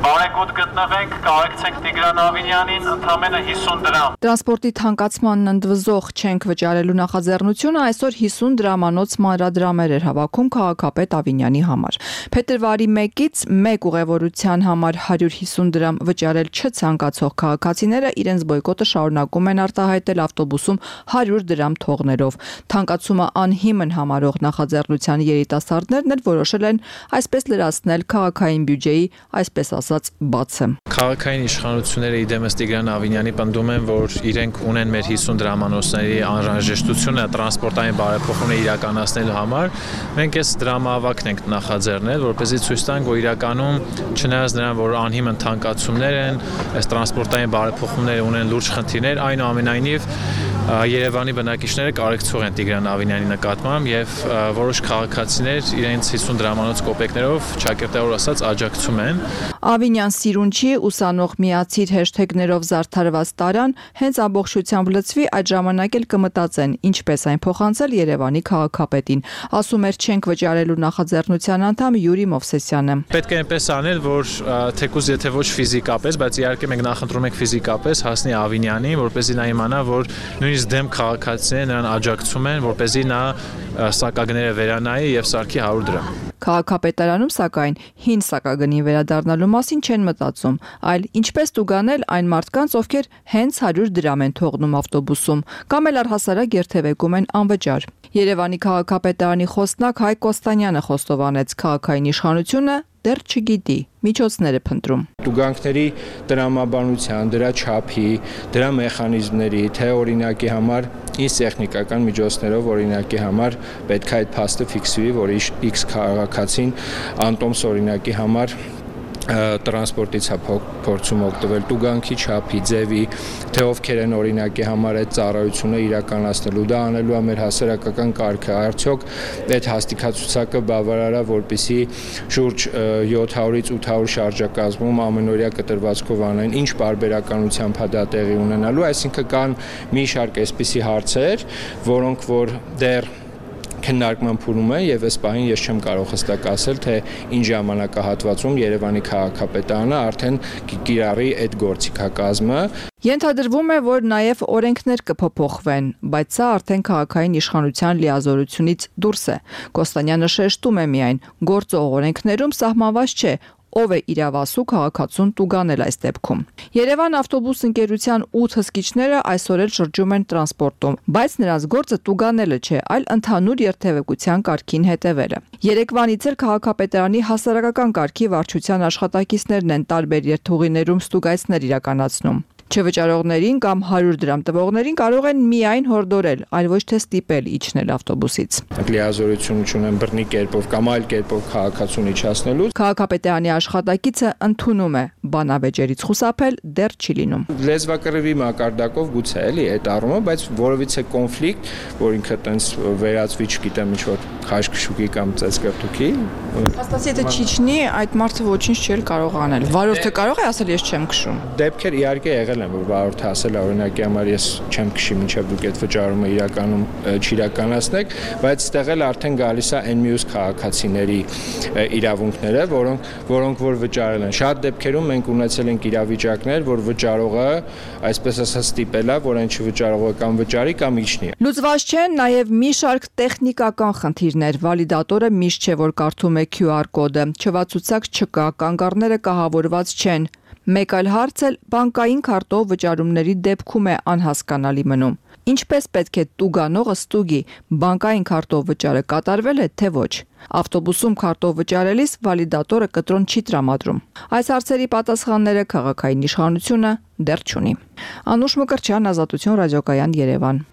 C: Բարեկոտ գտնվենք, կարեկցենք Տիգրան Ավինյանին ընդամենը հիսուն դրամ։
E: Տրանսպորտի թանկացմանն ընդվզող չենք վճարելու նախաձեռնությունը այսօր հիսուն դրամանոց մանրադրամեր էր հավաքում քաղաքապետ Ավինյանի համար։ Փետրվարի մեկից մեկ ուղևորության համար հարյուր հիսուն դրամ վճարել չցանկացող քաղաքացիները իրենց բոյկոտը շարունակում են արտահայտել ավտոբուսում հարյուր դրամ թողներով։ Թանկացումը անհիմն համարող նախաձեռնության երիտասարդներն էլ որոշել են այսպես լրացնել քաղաքային բյուջեի, այսպես ասած, բացը։
F: Քաղաքային իշխանությունները իդեմս Տիգրան Ավինյանի պնդում են, որ իրենք ունեն մեր հիսուն դրամանոցների անհրաժեշտությունը տրանսպորտային բարեփոխումներ իրականացնելու համար։ Մենք այս դրամահավաքն ենք նախաձեռնել, որպեսզի ցույց տանք, որ իրականում չնայած նրան, որ անհիմն թանկացումներ են, այս տրանսպորտային բարեփոխումները ունեն լուրջ խնդիրներ, այնուամենայնիվ Երևանի բնակիչները կարեկցող են Տիգրան Ավինյանի նկատմամբ եւ որոշ քաղաքացիներ իրենց հիսուն դրամանոց կոպեկներով ճակերտավոր ասած աջակցում են։
E: Ավինյան սիրունչի ուսանող միացիր հեշթեգներով զարդարված տարան հենց ամբողջությամբ լծվի, այդ ժամանակ էլ կմտածեն ինչպես այն փոխանցել Երևանի քաղաքապետին, ասում էր չենք վճարելու նախաձեռնության անդամ Յուրի Մովսեսյանը։
F: Պետք է այնպես անել, որ թեկուզ եթե ոչ ֆիզիկապես, բայց իհարկե մենք նախընտրում ենք ֆիզիկապես հասնի Ավինյանին, որպեսզի նա իմանա, որ նույնիսկ դեմ քաղաքացիները նրան աջակցում են, որպեսզի նա սակագները վերանայի եւ սարքի հարյուր դրամ։
E: Քաղաքապետարանում սակայն հին սակագնի վերադառնալու մասին չեն մտածում, այլ ինչպես տուգանել այն մարդկանց, ովքեր հենց հարյուր դրամ են թողնում ավտոբուսում, կամ էլ առհասարակ երթևեկում են անվճար։ Երևանի քաղաքապետարանի խոսնակ Հայկ Կոստանյանը խոստովանեց, քաղաքային իշխանությունը դեռ չգիտի, միջոցներ է փնտրում։
X: Տուգանքների տրամաբանության, դրա չափի, դրա մեխանիզմների, թե օրինակի համար ինչ տեխնիկական միջոցներով օրինակի համար պետք է այդ փաստը ֆիքսվի, որ X քաղաքացին անտոմս օրինակի համար տրանսպորտից է փորձում օգտվել, տուգանքի չափի, ձևի, թե ովքեր են օրինակի համար այդ ծառայությունը իրականացնելու, դա անելու է մեր հասարակական կարգը, արդյոք այդ հաստիկացուցակը բավարար է, որպեսզի շուրջ յոթ հարյուրից ութ հարյուր շարժակազմում ամենօրյա կտրվածքով անեն, ինչ պարբերականությամբ է դա տեղի ունենալու, այսինքն կան մի շարք այսպիսի հարցեր, որոնք որ դեռ քննարկման փուլում է եւ այս պահին ես չեմ կարող հստակ ասել, թե ինչ ժամանակահատվածում Երևանի քաղաքապետարանը արդեն կիրառի այդ գործիքակազմը։
E: Ենթադրվում է, որ նաև օրենքներ կփոփոխվեն, բայց սա արդեն քաղաքային իշխանության լիազորությունից դուրս է։ Կոստանյանը շեշտում է միայն, գործող օրենքներում սահմանված չէ, ով է իրավասու քաղաքացուն տուգանել այս դեպքում։ Երևան ավտոբուս ընկերության ութ հսկիչները այսօր էլ շրջում են տրանսպորտում, բայց նրանց գործը տուգանելը չէ, այլ ընդհանուր երթևեկության կարգին հետևելը։ Երեկվանից էլ քաղաքապետարանի հասարակական կարգի վարչության աշխատակիցներն են տարբեր երթուղիներում ստուգայցներ իրականացնում։ Չվճարողներին կամ հարյուր դրամ տվողներին կարող են միայն հորդորել, այլ ոչ թե ստիպել իջնել ավտոբուսից։
X: Լիազորություն ունեն բռնի կերպով կամ այլ կերպով քաղաքացուն իջացնելու։
E: Քաղաքապետարանի աշխատակիցը ընդունում է, բանավեճերից խուսափել դեռ չի լինում։
X: Լեզվակռիվի մակարդակով գուցե էլի այդ առումով, բայց որովհետեւ կոնֆլիկտ, որ ինքը տենց վերածվի, չգիտեմ, ինչ որ խաշկշուկի կամ ծածկապտուկի։
E: Հաստատ եթե չիջնի, այդ մարդը ոչինչ չի կարող անել։ Վարորդը կարող է ասել ես չեմ քշում։
X: Դեպքեր իհարկե եղել են, որ վարորդը ասել է օրինակի համար ես չեմ քշի, մինչև դուք այդ վճարումը իրականում չիրականացնեք, բայց ստեղ էլ արդեն գալիս է այն մյուս քաղաքացիների իրավունքները, որոնք որոնք որ վճարել են։ Շատ դեպքերում մենք ունեցել ենք իրավիճակներ, որ վճարողը, այսպես ասած, ստիպել է, որ այն չվճարողը կամ վճարի կամ իջնի։
E: Լուծված չեն նաև մի շարք տեխնիկական խնդիրներ։ Վալիդատորը միշտ չէ, որ կարդում է Q R կոդը, չվացուցակ չկա, կանգառները կահավորված չեն։ Մեկ այլ հարց էլ բանկային քարտով վճարումների դեպքում է անհասկանալի մնում։ Ինչպես պետք է տուգանողը ստուգի, բանկային քարտով վճարը կատարվել է, թե ոչ։ Ավտոբուսում քարտով վճարելիս վալիդատորը կտրոն չի տրամադրում։ Այս հարցերի պատասխանները քաղաքային իշխանությունը դեռ չունի։ Անուշ Մկրտչյան, Ազատություն ռադիոկայան, Երևան։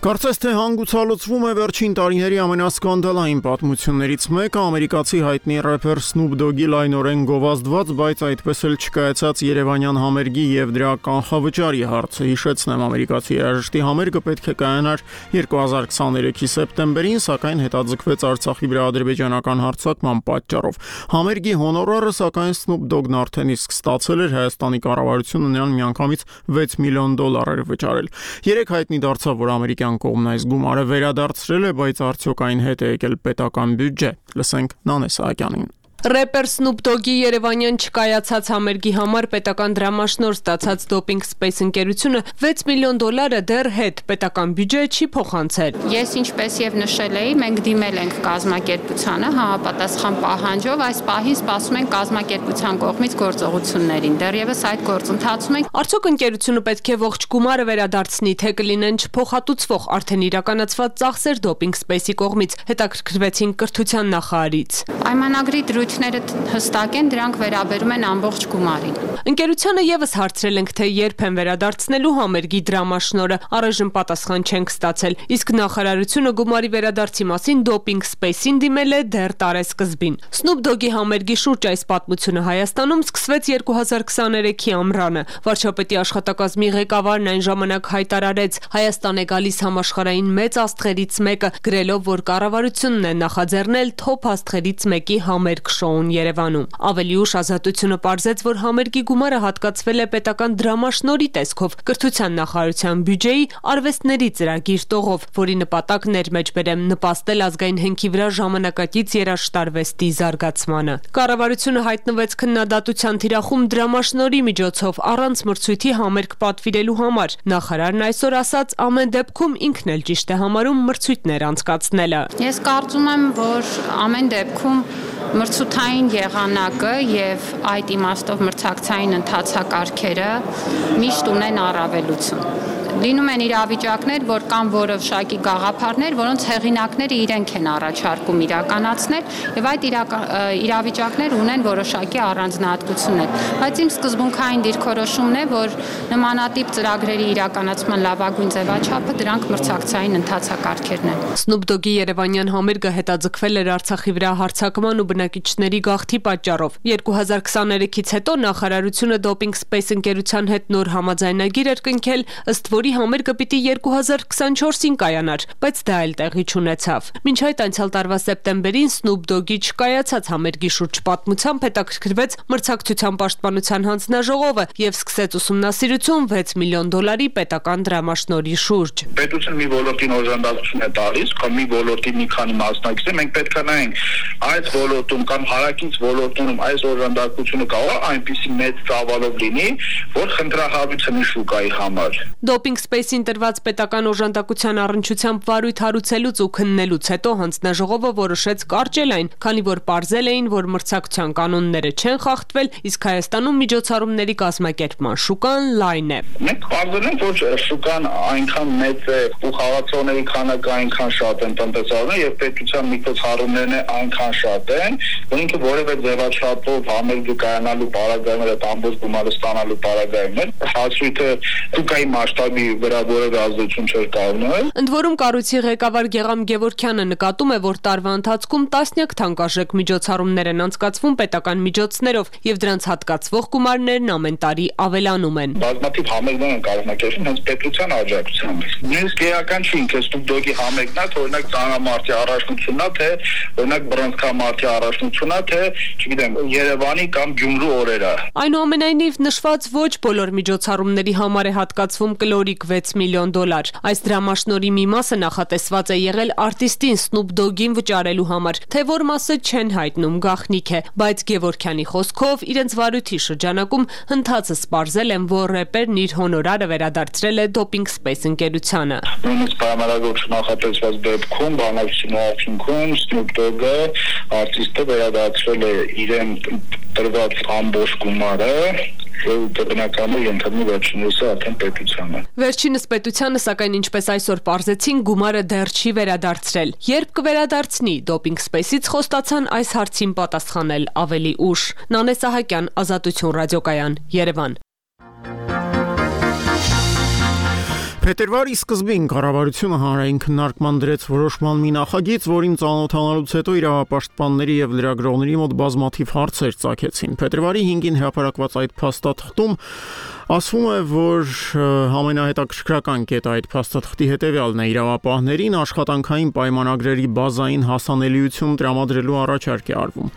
A: Կարծես թե հանգուցալուծվում է վերջին տարիների ամենասկանդալային պատմություններից մեկը ամերիկացի հայտնի рэփեր Snoop Dogg-ի լայնորեն գովազդված, բայց այդպես էլ չկայացած Երևանյան համերգի եւ դրա կանխավճարի հարցը։ Հիշեցնեմ, ամերիկացի երաժշտի համերգը պետք է կայանար երկու հազար քսաներեքի սեպտեմբերին, սակայն հետաձգվեց Արցախի վրա ադրբեջանական հարձակման պատճառով։ Համերգի հոնորարը սակայն Snoop Dogg-ն արդեն իսկ ստացել էր, Հայաստանի կառավարությունը նրան միանգամից վեց միլիոն դոլար էր վճարել։ Երեք հայտնի դարձավ, որ ամերիկյան կողմն այս գումարը վերադարձրել է, բայց արդյոք այն հետ է եկել պետական բյուջե։ Լսենք Նանե Սահակյանին։
G: Рэպեր Snoop Dogg-ի Երևանյան չկայացած համերգի համար պետական դրամաշնորհ ստացած Doping Space ընկերությունը վեց միլիոն դոլարը դեռ հետ պետական բյուջե չի փոխանցել։
Q: Ես ինչպես եւ նշել էի, մենք դիմել ենք կազմակերպությանը համապատասխան պահանջով, այս պահին սպասում ենք կազմակերպության կողմից գործողություններին։ Դեռևս այդ գործընթացում ենք։
G: Արդյոք ընկերությունը պետք է ողջ գումարը վերադարձնի, թե կլինեն չփոխհատուցվող արդեն իրականացված ծախսեր Doping Space-ի կողմից, հետաքրքրվեցին կրթության նախարարից։
Q: Պայմանագրի դրույթները հստակ են, դրանք վերաբերում են ամբողջ գումարին։
G: Ընկերությանը եւս հարցրել ենք, թե երբ են վերադարձնելու համերգի դրամաշնորհը, առայժմ պատասխան չենք ստացել, իսկ նախարարությունը գումարի վերադարձի մասին Doping Space-ին դիմել է դեռ տարեսկզբին։ Snoop Dogg-ի համերգի շուրջ այս պատմությունը Հայաստանում սկսվեց երկու հազար քսաներեքի ամռանը։ Վարչապետի աշխատակազմի ղեկավարն այն ժամանակ հայտարարեց. Հայաստան է գալիս համաշխարհային մեծ աստղերից մեկը, գրելով, որ կառավարությունն է նախաձեռնել թոփ աստղերից մեկի համերգ շոուն Երևանում։ Ավելի ուշ Ազատությունը պարզեց, որ համերգի գումարը հատկացվել է պետական դրամաշնորհի տեսքով կրթության նախարարության բյուջեի արվեստների ծրագիր տողով, որի նպատակն էր մեջբերեմ նպաստել ազգային հենքի վրա ժամանակակից երաժշտարվեստի զարգացմանը։ Կառավարությունը հայտնվեց քննադատության թիրախում դրամաշնորհի միջոցով առանց մրցույթի համերգ պատվիրելու համար։ Նախարարն այսօր ասաց, ամեն դեպքում ինքն էլ ճիշտ է համարում մրցույթներ անցկացնելը։
Q: Ես կարծում եմ, որ ամեն դեպքում մրցութային եղանակը եւ այդ իմաստով մրցակցային ընթացակարգերը միշտ ունեն առավելություն։ Լինում են իրավիճակներ, որ կան որոշակի գաղափարներ, որոնց հեղինակները իրենք են առաջարկում իրականացնել, եւ այդ իրավիճակներ ունեն որոշակի առանձնահատկություններ։ Բայց իմ սկզբունքային դիրքորոշումն է, որ նմանատիպ ծրագրերի իրականացման լավագույն ձևաչափը դրանք մրցակցային ընթացակարգերն են։
G: Snoop Dogg-ի Երևանյան համերգը հետաձգվել էր Արցախի վրա հարձակման ու բնակիչների գաղթի պատճառով։ երկու հազար քսաներեքից հետո նախարարությունը Doping Space ընկերության հետ նոր համաձայնագիր էր կնքել, ըստ որի համերգը պիտի երկու հազար քսանչորսին կայանար, բայց դա էլ տեղի չունեցավ։ Մինչ այդ անցյալ տարվա սեպտեմբերին Snoop Dogg-ի չկայացած համերգի շուրջ պատմությամբ հետաքրքրվեց մրցակցության պաշտպանության հանձնաժողովը եւ սկսեց ուսումնասիրություն վեց միլիոն դոլարի պետական դրամաշնորհի շուրջ։
I: Պետությունը մի ոլորտին օժանդակություն է տալիս, կամ մի ոլորտի մի քանի մասնակիցներ, մենք պետք է նայենք այս ոլորտում կամ հարակից ոլորտում այս օժանդակությունը կարող է այնպիսի մեծ ծավալով լինի, որ խնդրահարույց ունի շուկայի համար։
G: Doping Space-ին տրված պետական օժանդակության առնչությամբ վարույթ հարուցելուց ու քննելուց հետո հանձնաժողովը որոշեց կարճել այն, քանի որ պարզել էին, որ մրցակցության կանոնները չեն խախտվել, իսկ Հայաստանում միջոցառումների կազմակերպման շուկան լայն է։
I: Մենք պարզել ենք, որ շուկան այնքան մեծ է ու խաղացողների քանակը այնքան շատ են տնտեսարանը եւ պետության միջոցառումներն այնքան շատ են, որ ինքը որևէ ձևաչափով համերգը կայանալու պարագայում այդ ամբողջ գումարը ստանալու պարագայում է հասույթը շուկայի մասշտաբի վրա որևէ ազդեցություն չէր կայանում։
G: Ընդ որում կառույցի ղեկավար Գեգամ Գևորգյանը նկատում է, որ տարվա ընթացքում տասնյակ թանկարժեք միջոցառումներ են անցկացվում պետական միջոցներով եւ դրանց հատկացվող գումարներն ամեն տարի ավելանում են։
I: Բազմաթիվ համերգներ են կազմակերպվում հենց պետության աջակցությամբ։ Նույնիսկ էական չի ինքը Snoop Dogg-ի համերգն է, թե օրինակ ծանրամարտի առաջնությունն է, թե օրինակ բռնցքամարտի առաջնությունն է, թե չգիտեմ Երևանի կամ Գյումրու օրերը։
G: Այնուամենայնիվ նշված ոչ բոլոր միջոցառումների համար է հատկացվում կլորիկ վեց միլիոն դոլար։ Այս դրամաշնորհի մի մասը նախատեսված է եղել արտիստին Snoop Dogg-ին վճարելու համար, թե որ մասը չեն հայտնում, գաղտնիք է, բայց Գևորգյանի խոսքով իրենց վարույթի շրջանակում հնդածը սպարզել են, որ рэպերն իր հոնորարը վերադարձրել է Doping Space ընկերությանը։
I: Նույնիսկ պայմանագրով նախատեսված դեպքում բանակցության արդյունքում Snoop Dogg-ը արտիստը վերադարձրել է իրեն տրված ամբողջ գումարը բնականը ենթադրում վերջինս արդեն պետությանը։
G: Վերջինս պետությանը, սակայն ինչպես այսօր պարզեցին, գումարը դեռ չի վերադարձրել։ Երբ կվերադարձնի, Doping Space-ից խոստացան այս հարցին պատասխանել ավելի ուշ։ Նանե Սահակյան, Ազատություն ռադիոկայան, Երևան։
A: Փետրվարի սկզբին կառավարությունը հանրային քննարկման դրեց որոշման մի նախագիծ, որին ծանոթանալուց հետո իրավապաշտպանների եւ լրագրողների մոտ բազմաթիվ հարցեր ծագեցին։ Փետրվարի հինգին հրապարակված այդ փաստաթղթում ասվում է, որ ամենահետաքրքրական կետը այդ փաստաթղթի հետևյալն է՝ իրավապահներին աշխատանքային պայմանագրերի բազային հասանելիություն տրամադրելու առաջարկ է արվում։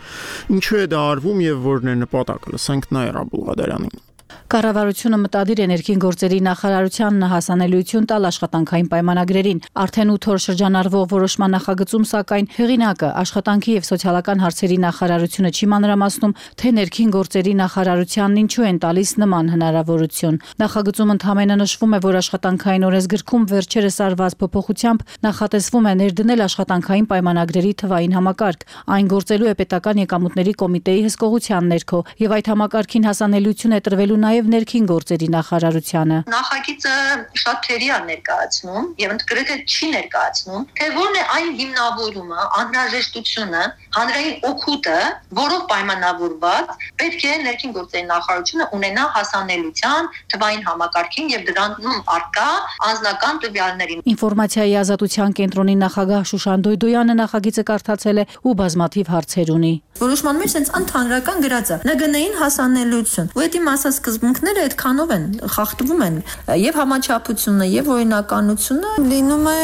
A: Ինչու է դա արվում եւ որն է նպատակը։ Լսենք Նաիրա Բուլղադարյանին։
J: Կառավարությունը մտադիր է ներքին գործերի նախարարությանն հասանելիություն տալ աշխատանքային պայմանագրերին։ Արդեն ութ օր շրջանառվող որոշման նախագծում, սակայն հեղինակը աշխատանքի եւ սոցիալական հարցերի նախարարությունը չի մանրամասնում, թե ներքին գործերի նախարարությանն ինչու են տալիս նման հնարավորություն։ Նախագծում ընդհանրապես նշվում է, որ աշխատանքային օրենսգրքում վերջերս արված փոփոխությամբ նախատեսվում է ներդնել աշխատանքային պայմանագրերի թվային համակարգ։ Այն գործելու է պետական եկամուտների կոմիտեի հսկողության ներքո եւ այդ համակարգին հասանելիություն է տրվելու նաև ներքին գործերի նախարարությանը։
L: Նախագիծը շատ թերի է ներկայացնում եւ ընդգրկը չի ներկայացնում, թե որն է այն հիմնավորումը, անհրաժեշտությունը, հանրային օգուտը, որով պայմանավորված պետք է ներքին գործերի նախարարությունը ունենա հասանելիության թվային համակարգին եւ դրանում արկա անձնական տվյալներին։
J: Ինֆորմացիայի ազատության կենտրոնի նախագահ Շուշան Դոյդոյանը նախագիծը կարդացել է ու բազմաթիվ հարցեր ունի։
M: Որոշման մեջ sense ընդհանրական գրած է նգնային հասանելիություն։ Ու դա մասը սկզբունքները այդքանով են խախտվում են եւ համաչափությունը եւ օրինականությունը
O: լինում է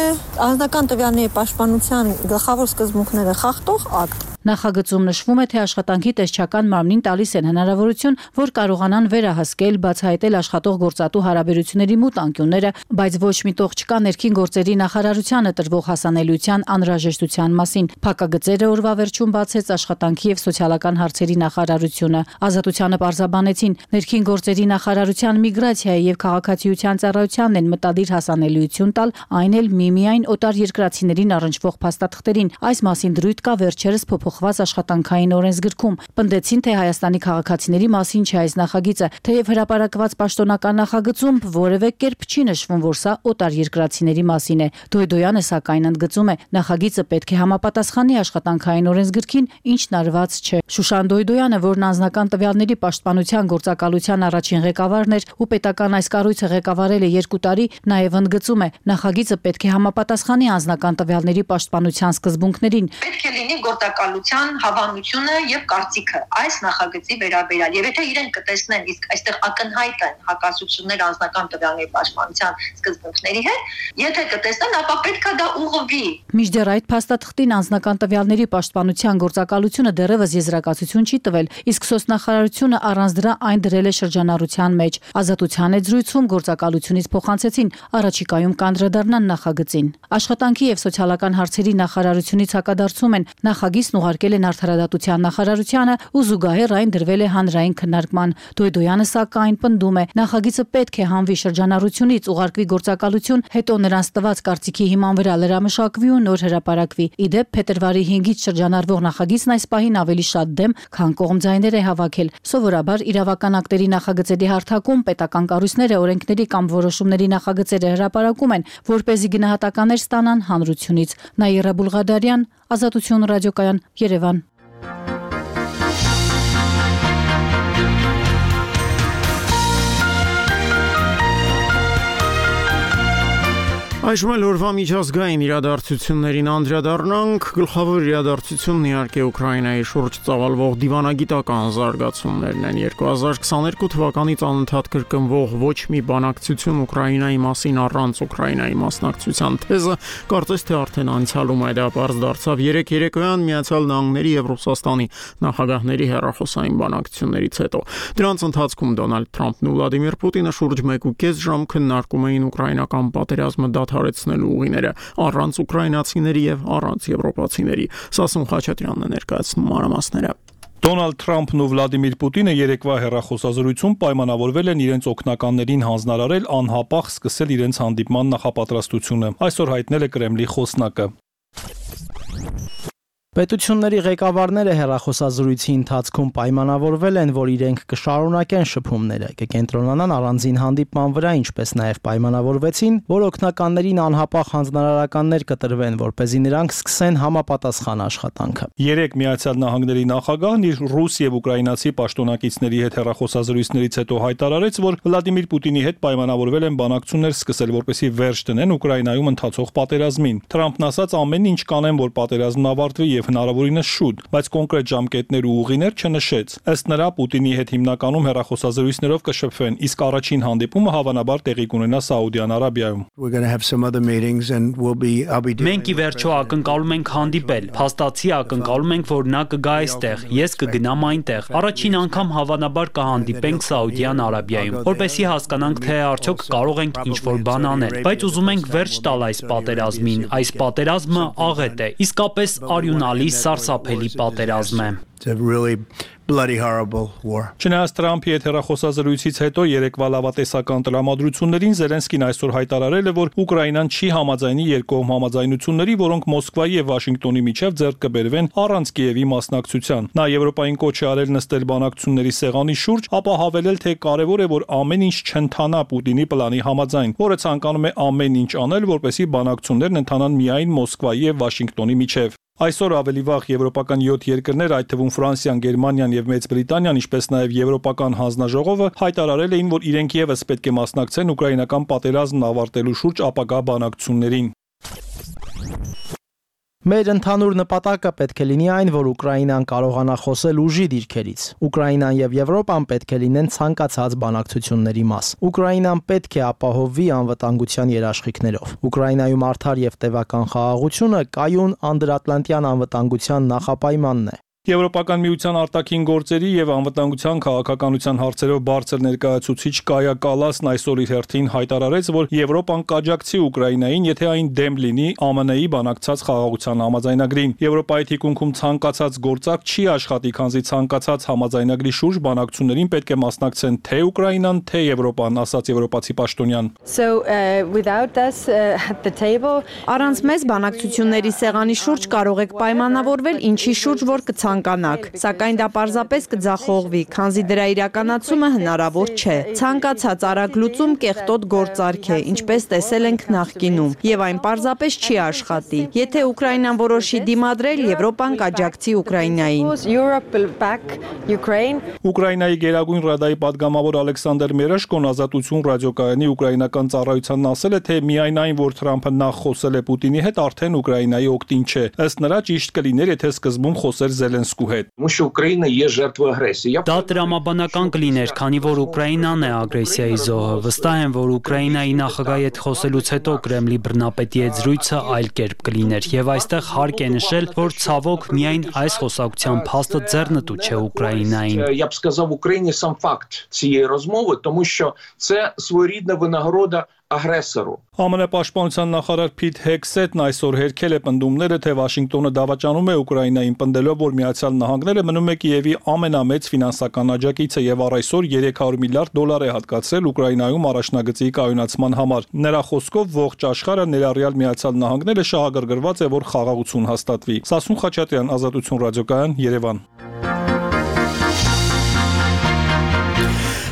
O: անձնական տվյալների պաշտպանության գլխավոր սկզբունքները խախտող ակտ։
J: Նախագծում նշվում է, թե աշխատանքի տեսչական մարմնին տալիս են հնարավորություն, որ կարողանան վերահսկել, բացահայտել աշխատող գործատու հարաբերությունների մութ անկյունները, բայց ոչ միտող չկա ներքին գործերի նախարարությանը տրվող հասանելիության անհրաժեշտության մասին։ Փակագծերը օրվա վերջում բացեց աշխատանքի եւ սոցիալական հարցերի նախարարությունը։ Ազատությանը պարզաբանեցին, ներքին գործերի նախարարության միգրացիայի եւ քաղաքացիության ծառայությանն են մտադիր հասանելիություն տալ, այն էլ միմիայն օտար երկրացիներին առնչվող փաստաթղթերին։ Այս մասին դրույթ կա վերջերս փոփոխված աշխատանքային օրենսգրքում։ Պնդեցին, թե Հայաստանի քաղաքացիների մասին չէ այս նախագիծը, թեև հրապարակված պաշտոնական նախագծում որևէ կերպ չի նշվում, որ սա օտար երկրացիների մասին է։ Դոյդոյանը սակայն ընդգծում է, նախագիծը պետք է համապատասխանի աշխատանքային օրենսգրքին, ինչն արված չէ։ Շուշան Դոյդոյանը, որն անձնական տվյալների պաշտպանության գործակալության առաջին ղեկավարն էր ու պետական այս կառույցը ղեկավարել է երկու տարի, նաև ընդգծում է, նախագիծը պետք է համապատասխանի անձնական տվյալների պաշտպանության սկզբունքներին։
L: Պետք է լինի գործակալության հավանությունը եւ կարծիքը այս նախագծի վերաբերյալ։ Եվ եթե իրենք կտեսնեն, իսկ այստեղ ակնհայտ են հակասություններ անձնական տվյալների պաշտպանության սկզբունքների հետ, եթե կտեսնեն, ապա պետք է դա ուղղվի։
J: Մինչդեռ այդ փաստաթղթին անձնական տվյալների պաշտպանության գործակալությունը դեռևս եզրակացություն չի տվել, իսկ սոցնախարարությունը առանց դրա այն դրել է շրջանառության մեջ։ Ազատության այդ զրույցում գործակալությունից փոխանցեցին առաջիկայում կանդրադառնան նախագծին։ Աշխատանքի եւ սոցիալական հարցերի նախարարությունից հակադարձում են, նախագիծն ուղարկել են Արդարադատության նախարարությանը ու զուգահեռ այն դրվել է հանրային քննարկման։ Դոյդոյանը սակայն պնդում է, նախագիծը պետք է հանվի շրջանառությունից, ուղարկվի գործակալություն, հետո նրանց տված կարծիքի հիման վրա լրամշակվի ու նոր հրապարակվի։ Իդեպ փետրվարի հինգից շրջանառվող նախագիծն այս պահին ավելի շատ դեմ, քան կողմ ձայներ է հավաքել։ Սովորաբար իրավական ակտերի նախագծերի հարթակում պետական կառույցները օրենքների կամ որոշումների նախագծերը հրապարակում են, որպեսզի գնահատականներ ստանան հանրությունից։ Նաիրա Բուլղադարյան, Ազատություն ռադիոկայան, Երևան։
A: Այժմ էլ օրվա միջազգային իրադարձություններին անդրադառնանք։ Գլխավոր իրադարձությունն իհարկե Ուկրաինայի շուրջ ծավալվող դիվանագիտական զարգացումներն են։ երկու հազար քսաներկու թվականից անընդհատ կրկնվող ոչ մի բանակցություն Ուկրաինայի մասին առանց Ուկրաինայի մասնակցության թեզը կարծես թե արդեն անցյալում է, դա պարզ դարձավ երեք երեկոյան Միացյալ Նահանգների եւ Ռուսաստանի նախագահների հեռախոսային բանակցություններից հետո։ Դրանց ընթացքում Դոնալդ Թրամփն ու Վլադիմիր Պուտինը շուրջ մեկ ու կես ժամ քննարկում էին ուկրաինական պատերազմը դադարեցնելու ուղիները առանց ուկրաինացիների եւ առանց եվրոպացիների։ Սասուն Խաչատրյանն է ներկայացնում մանրամասները։
W: Դոնալդ Թրամփն ու Վլադիմիր Պուտինը երեկվա հեռախոսազրույցում պայմանավորվել են իրենց օգնականներին հանձնարարել անհապաղ սկսել իրենց հանդիպման նախապատրաստությունը։ Այսօր հայտնել է Կրեմլի խոսնակը։
H: Պետությունների ղեկավարները հեռախոսազրույցի ընթացքում պայմանավորվել են, որ իրենք կշարունակեն շփումները, կկենտրոնանան առանձին հանդիպման վրա, ինչպես նաև պայմանավորվեցին, որ օգնականներին անհապաղ հանձնարարականներ կտրվեն, որպեսզի նրանք սկսեն համապատասխան աշխատանքը։
W: Երեք Միացյալ Նահանգների նախագահն իր ռուս եւ ուկրաինացի պաշտոնակիցների հետ հեռախոսազրույցներից հետո հայտարարեց, որ Վլադիմիր Պուտինի հետ պայմանավորվել են բանակցություններ սկսել, որպեսզի վերջ դնեն Ուկրաինայում ընթացող պատերազմին։ Թրամփն ասաց ամեն ինչ կանեն, որ պատերազմն ավարտվի եւ հնարավորինս շուտ, բայց կոնկրետ ժամկետներ ու ուղիներ չնշեց։ Ըստ նրա Պուտինի հետ հիմնականում հեռախոսազրույցներով կշփվեն, իսկ առաջին հանդիպումը հավանաբար տեղի կունենա Սաուդյան Արաբիայում։
R: Մենք ի վերջո ակնկալում ենք հանդիպել, փաստացի ակնկալում ենք, որ նա կգա այստեղ, ես կգնամ այնտեղ։ Առաջին անգամ հավանաբար կհանդիպենք Սաուդյան Արաբիայում, որպեսզի հասկանանք, թե արդյոք կարող ենք ինչ-որ բան անել, բայց ուզում ենք վերջ տալ այս պատերազմին։ Այս պատերազմը աղետ է, իսկապես արյունալի, սարսափելի պատերազմ է։
W: Bloody horrible war. Չնայած Թրամփի հետ հեռախոսազրույցից հետո երեկվա լավատեսական տրամադրություններին Զելենսկին այսօր հայտարարել է, որ Ուկրաինան չի համաձայնի երկկողմ համաձայնությունների, որոնք Մոսկվայի եւ Վաշինգտոնի միջև ձեռք կբերվեն առանց Կիևի մասնակցության։ Նա Եվրոպային կոչ է արել նստել բանակցությունների սեղանի շուրջ, ապա հավելել, թե կարևոր է, որ ամեն ինչ չընթանա Պուտինի պլանի համաձայն, որը ցանկանում է ամեն ինչ անել, որպեսզի բանակցություններն ընթանան միայն Մոսկվայի եւ Վաշինգտոնի միջև։ Այսօր ավելի վաղ եվրոպական յոթ երկրներ, այդ թվում Ֆրանսիան, Գերմանիան եւ Մեծ Բրիտանիան, ինչպես նաեւ Եվրոպական հանձնաժողովը հայտարարել էին, որ իրենք եւս պետք է մասնակցեն ուկրաինական պատերազմն ավարտելու շուրջ ապագա բանակցություններին։
H: Մեր ընդհանուր նպատակը պետք է լինի այն, որ Ուկրաինան կարողանա խոսել ուժի դիրքերից։ Ուկրաինան եւ Եվրոպան պետք է լինեն ցանկացած բանակցությունների մաս։ Ուկրաինան պետք է ապահովվի անվտանգության երաշխիքներով։ Ուկրաինայում արդար եւ տևական խաղաղությունը կայուն անդրատլանտյան անվտանգության նախապայմանն է։
W: Եվրոպական միության արտաքին գործերի եւ անվտանգության քաղաքականության հարցերով բարձր ներկայացուցիչ Կայա Կալասն այսօր իր հերթին հայտարարեց, որ Եվրոպան կաջակցի Ուկրաինային, եթե այն դեմ լինի Α M N-ի բանակցած խաղաղության համաձայնագրին։ Եվրոպայի թիկունքում ցանկացած գործակ չի աշխատի, քանզի ցանկացած համաձայնագրի շուրջ բանակցություններին պետք է մասնակցեն թե Ուկրաինան, թե Եվրոպան, ասաց եվրոպացի պաշտոնյան։
K: So uh, without us uh, at the table, առանց մեզ բանակցությունների սեղանի շուրջ կարող եք պայմանավորվել ինչի շուրջ որ կցանկանաք կանանք, սակայն դա պարզապես կձախողվի, քանզի դրա իրականացումը հնարավոր չէ։ Ցանկացած արագ լուծում կեղտոտ գործարք է, ինչպես տեսել ենք նախկինում, եւ այն պարզապես չի աշխատի։ Եթե Ուկրաինան որոշի դիմադրել, Եվրոպան կաջակցի Ուկրաինային։
W: Ուկրաինայի Գերագույն ռադայի падգամավոր Ալեքսանդր Մերեշկոն Ազատություն ռադիոկայանի ուկրաինական ծառայությանն ասել է, թե միայն այն, որ Թրամփը նախ խոսել է Պուտինի հետ, արդեն Ուկրաինայի օգտին չէ։ Ըստ նրա ճիշտ կլիներ, եթե սկզբում խոսեր Զելենսկու հետ։
R: Դա տրամաբանական կլիներ, քանի որ Ուկրաինան է ագրեսիայի զոհը։ Վստահ եմ, որ Ուկրաինայի նախագահի հետ խոսելուց հետո Կրեմլի բռնապետի հետ զրույցը այլ կերպ կլիներ, եւ այստեղ հարկ է նշել, որ ցավոք միայն այս խոսակցության փաստը ձեռնտու չէ Ուկրաինային։
N: Я б сказав Україні сам факт цієї розмови, тому що це своєрідна винагорода агресору.
W: Α M N պաշտպանության նախարար Փիթ Հեքսետն այսօր հերքել է պնդումները, թե Վաշինգտոնը դավաճանում է Ուկրաինային, պնդելով, որ Միացյալ Նահանգները մնում է Կիևի ամենամեծ ֆինանսական աջակիցը եւ առ այսօր երեք հարյուր միլիարդ դոլար է հատկացրել Ուկրաինայում առաջնագծի կայունացման համար։ Նրա խոսքով ողջ աշխարհը ներառյալ Միացյալ Նահանգները շահագրգռված է, որ խաղաղություն հաստատվի։ Սասուն Խաչատրյան, Ազատություն ռադիոկայան, Երևան։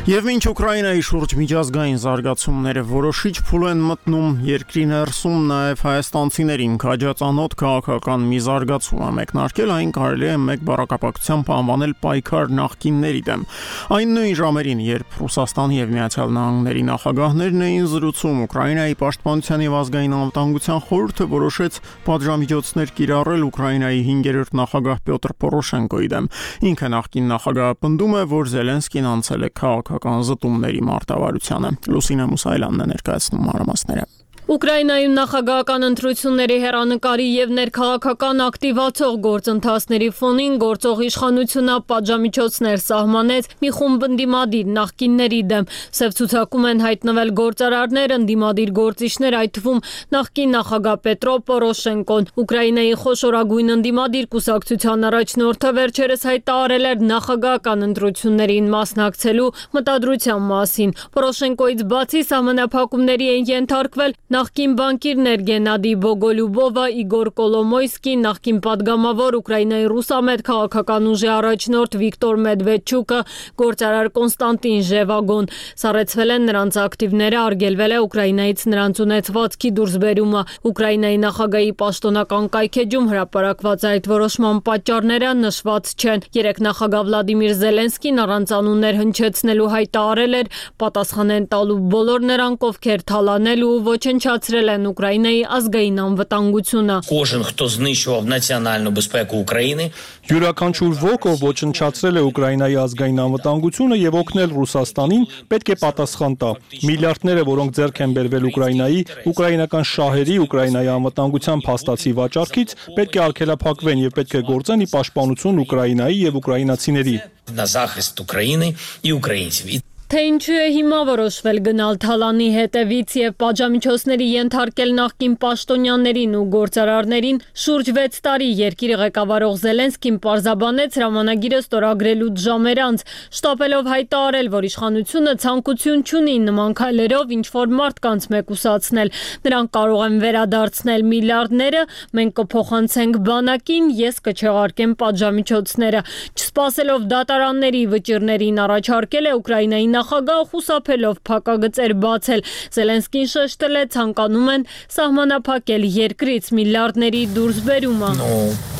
A: Եվ մինչ Ուկրաինայի շուրջ միջազգային զարգացումները որոշիչ փուլ են մտնում, երկրի ներսում նաև հայաստանցիներին քաջածանոթ քաղաքական մի զարգացում է մեկնարկել, այն կարելի է մեկ բառակապակցությամբ անվանել պայքար նախկինների դեմ։ Այն նույն ժամերին, երբ Ռուսաստանի եւ Միացյալ Նահանգների նախագահներն էին զրուցում, Ուկրաինայի պաշտպանության եւ ազգային անվտանգության խորհուրդը որոշեց պատժամիջոցներ կիրառել Ուկրաինայի հինգերորդ նախագահ Պյոտր Պորոշենկոյի դեմ։ Ինքը նախկին նախագահը պնդում է, որ Զելենսկին անցել է քաղաքական զտումների մարտավարությանը։ Լուսինե Մուսայելյանն է ներկայացնում մանրամասները։
G: Ուկրաինայում նախագահական ընտրությունների հեռանկարի եւ ներքաղաքական ակտիվացող գործընթացների ֆոնին գործող իշխանությունը պատժամիջոցներ սահմանեց մի խումբ ընդդիմադիր նախկինների դեմ։ Սև ցուցակում են հայտնվել գործարարներ, ընդդիմադիր գործիչներ, այդ թվում նախկին նախագահ Պետրո Պորոշենկոն։ Ուկրաինայի խոշորագույն ընդդիմադիր կուսակցության առաջնորդը վերջերս հայտարարել էր նախագահական ընտրություններին մասնակցելու մտադրության մասին։ Պորոշենկոից բացի սահմանափակումների են ենթարկվել
P: Նախկին բանկիրներ Գենադի Բոգոլյուբովը, Իգոր Կոլոմոյսկի, նախկին падգամավոր Ուկրաինայի ռուսամետ քաղաքական ուժի առաջնորդ Վիկտոր Մեդվեդչուկը, գործարար Կոնստանտին Ժևագոն։ Սառեցվել են նրանց ակտիվները, արգելվել է Ուկրաինայից նրանց ունեցվածքի դուրսբերումը։ Ուկրաինայի նախագահի պաշտոնական կայքեջում հրապարակված այդ որոշման պատճառները նշված չեն։ Երեք նախագահ Վլադիմիր Զելենսկին առանց անուններ հնչեցնելու հայտարարել էր պատասխանեն տալու բոլոր նրանք, ովքեր թալանել ու ոչնչացրել են Ուկրաինայի ազգային անվտանգությունը։
S: Кожен, хто знищував національну безпеку України,
W: յուրաքանչյուր ոք, ով ոչնչացրել է Ուկրաինայի ազգային անվտանգությունը եւ օգնել Ռուսաստանին, պետք է պատասխան տա։ Միլիարդները, որոնք ձեռք են բերվել Ուկրաինայի, ուկրաինական շահերի, Ուկրաինայի անվտանգության փաստացի վաճառքից, պետք է արգելափակվեն եւ պետք է գործեն ի պաշտպանություն Ուկրաինայի եւ ուկրաինացիների։
S: на захист України і українців.
P: Թե ինչու է հիմա որոշվել գնալ Թալանի հետևից եւ պատժամիջոցների ենթարկել նախկին պաշտոնյաներին ու գործարարներին, շուրջ վեց տարի երկիրը ղեկավարող Զելենսկին պարզաբանեց հրամանագիրը ստորագրելուց ժամեր անց, շտապելով հայտարարել, որ իշխանությունը ցանկություն չունի նման քայլերով ինչ-որ մարդկանց մեկուսացնել։ Նրանք կարող են վերադարձնել միլիարդները, մենք կփոխանցենք բանակին, ես կչեղարկեմ պատժամիջոցները։ Չսպասելով դատարանների վճիռներին առաջարկել է Ուկրաինայի նախագահ խուսափելով փակագծեր բացել։ Զելենսկին շեշտել է ցանկանում են սահմանափակել երկրից միլիարդների դուրսբերումը։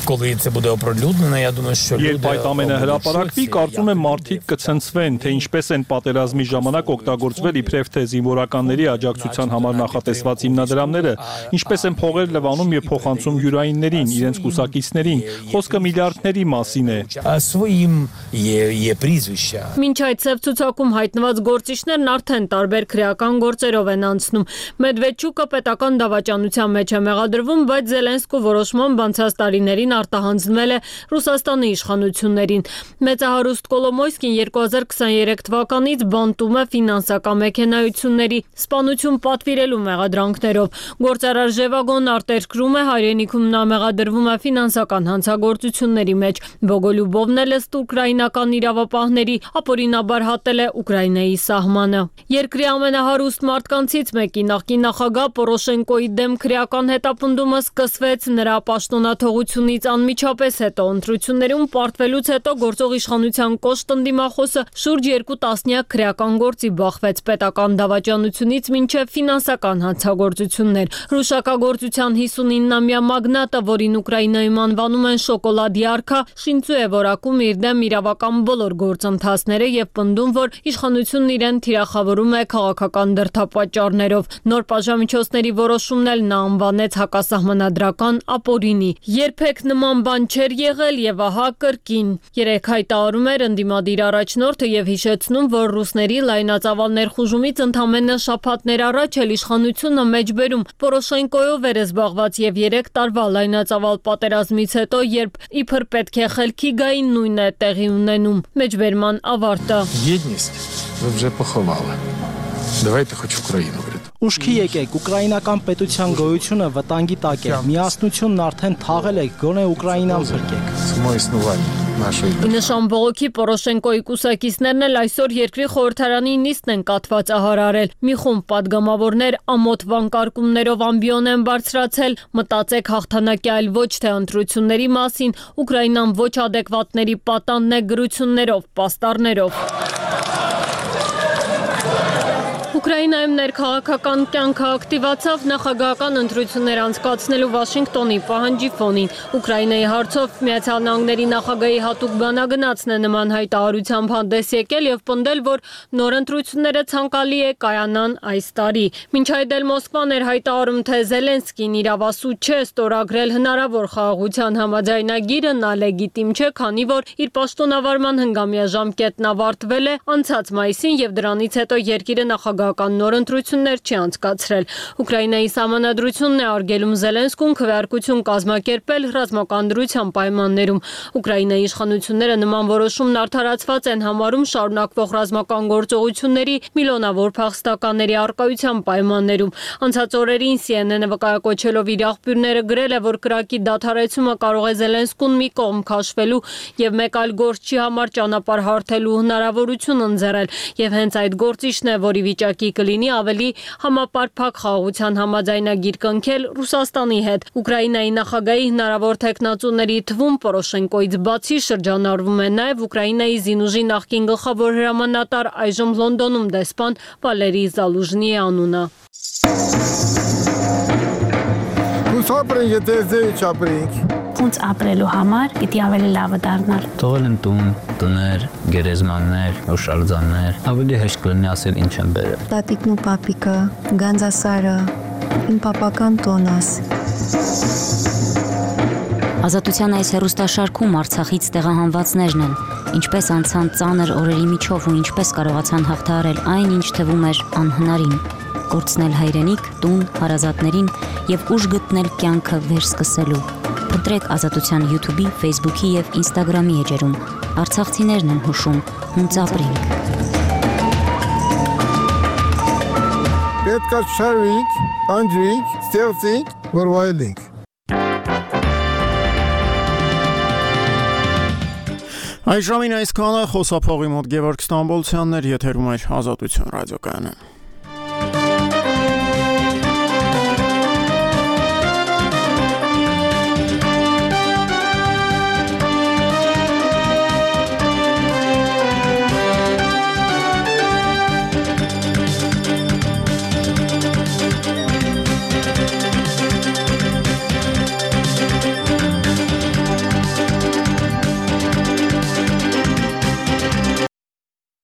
S: Коли це буде оприлюднено, я думаю, що
W: Երբ այդ ամենը հրապարակվի, կարծում եմ մարդիկ կցնցվեն, թե ինչպես են պատերազմի ժամանակ օգտագործվել իբրև թե զինվորականների աջակցության համար նախատեսված հիմնադրամները, ինչպես են փողեր լվանում եւ փոխանցում յուրայիններին, իրենց կուսակիցներին։ Խոսքը միլիարդների մասին է։
S: Своїм є, є прізвища.
P: Մինչ այդ ծև ցուցակում հայտնված գործիչներն արդեն տարբեր քրեական գործերով են անցնում։ Մեդվեդչուկը պետական դավաճանության մեջ է մեղադրվում, բայց Զելենսկու որոշմամբ անցած տարիներին արտահանձնվել է Ռուսաստանի իշխանություններին։ Մեծահարուստ Կոլոմոյսկին երկու հազար քսաներեք թվականից բանտում է ֆինանսական մեքենայությունների սպանություն պատվիրելու մեղադրանքներով։ Գործարար Ժևագոն արտերկրում է, հայրենիքում նա մեղադրվում է ֆինանսական հանցագործությունների մեջ։ Բոգոլյուբովն էլ ըստ ուկրաինական իրավապահների ապօրինաբար հատել է Ուկրաինայի սահմանը։ Երկրի ամենահարուստ մարդկանցից մեկի նախկին նախագահ Պորոշենկոյի դեմ քրեական հետապնդումը սկսվեց նրա պաշտոնաթողությունից անմիջապես հետո ընտրություններում պարտվելուց հետո գործող իշխանության կոշտ ընդդիմախոսը շուրջ երկու տասնյակ քրեական գործի բախվեց պետական դավաճանությունից մինչև ֆինանսական հանցագործություններ։ Ռուշակագործության հիսունինամյա մագնատը, որին Ուկրաինայում անվանում են շոկոլադի արքա, շինծու է որակում իր դեմ իրավական բոլոր գործընթացները եւ պնդում, որ իշխանությունն իրեն թիրախավորում է քաղաքական դրդապատճառներով։ Նոր պատժամիջոցների որոշումն էլ նա անվանեց հակասահմանադրական ապօրինի։ Երբեք նման բան չէր եղել եւ ահա կրկին։ Երեք հայտարարում էր ընդդիմադիր առաջնորդը եւ հիշեցնում, որ ռուսների լայնածավալ ներխուժումից ընդամենը շաբաթներ առաջ էլ իշխանությունը մեջբերում Պորոշենկոյով էր զբաղված եւ երեք տարվա լայնածավալ պատերազմից հետո, երբ իբր պետք է խելքի գային, նույնն է տեղի ունենում։ Մեջբերման ավարտը։
N: Єдність ви вже поховали. Давайте хоч Україну врятуємо.
H: Ուշքի եկեք, ուկրաինական պետության գոյությունը վտանգի տակ է։ Միասնությունն արդեն թաղել եք, գոնե Ուկրաինան փրկեք։
N: Само існування нашої
P: Ի նշան բողոքի Պորոշենկոյի կուսակիցներն էլ այսօր երկրի խորհրդարանի նիստն են կաթվածահարարել։ Մի խումբ падգամավորներ ամոթ վանկարկումներով ամբիոն են բարձրացել, մտածեք հաղթանակի այլ ոչ թե ընտրությունների մասին, Ուկրաինան ոչ ադեկվատների պատանն է գրություններով, պաստառներով։ Ուկրաինայում ներքաղաքական կյանքը ակտիվացավ նախագահական ընտրություններ անցկացնելու Վաշինգտոնի պահանջի ֆոնին։ Ուկրաինայի հարցով Միացյալ Նահանգների նախագահի հատուկ բանագնացն է նման հայտարարությամբ հանդես եկել եւ պնդել, որ նոր ընտրությունները ցանկալի է կայանան այս տարի։ Մինչ այդ էլ Մոսկվան էր հայտարարում, թե Զելենսկին իրավասու չէ ստորագրել հնարավոր խաղաղության համաձայնագիրը, նա լեգիտիմ չէ, քանի որ իր պաշտոնավարման հնգամյա ժամկետն ավարտվել է անցած մայիսին եւ դրանից հետո երկիրը նախագահական նոր ընտրություններ չի անցկացրել։ Ուկրաինայի սահմանադրությունն է արգելում Զելենսկուն քվեարկություն կազմակերպել ռազմական դրության պայմաններում։ Ուկրաինայի իշխանությունները նման որոշումն արդարացված են համարում շարունակվող ռազմական գործողությունների միլիոնավոր փախստականների առկայության պայմաններում։ Անցած օրերին C N N-ը վկայակոչելով իր աղբյուրները գրել է, որ կրակի դադարեցումը կարող է Զելենսկուն մի կողմ քաշվելու եւ մեկ այլ գործչի համար ճանապարհ հարթելու հնարավորություն ընձեռել, եւ հենց այդ գործիչն է, որի վիճակի ժամանակի կլինի ավելի համապարփակ խաղաղության համաձայնագիր կնքել Ռուսաստանի հետ։ Ուկրաինայի նախագահի հնարավոր տեխնացուների թվում Պորոշենկոից բացի շրջանառվում է նաև Ուկրաինայի զինուժի նախկին գլխավոր հրամանատար, այժմ Լոնդոնում դեսպան Վալերի Զալուժնիի անունը։
D: Ոնց ապրելու համար պիտի ավելի լավը դառնար։
T: Թողել են տուն, տներ, գերեզմաններ, օշալձաններ, ավելի հեշտ կլինի ասել ինչ են բերել։
U: Տատիկն ու պապիկը, Գանձասարը, իմ պապական տոնս։
V: Ազատության այս հեռուստաշարքում Արցախից տեղահանվածներն են, ինչպես անցան ծանր օրերի միջով ու ինչպես կարողացան հաղթահարել այն, ինչ թվում էր անհնարին, կորցնել հայրենիք, տուն, հարազատներին եւ ուժ գտնել կյանքը վերսկսելու։ Փնտրեք Ազատության YouTube-ի, Facebook-ի եւ Instagram-ի էջերում։ Արցախցիներն են հուշում, հունց ապրենք։
Y: Պետք է շարվենք, անջրենք, ստեղծենք, որ վայելենք։
A: Այժմին այսքանը խոսափողի մոտ Գևորգ Ստամբոլցյանն էր, եթերում էր Ազատություն ռադիոկայանը։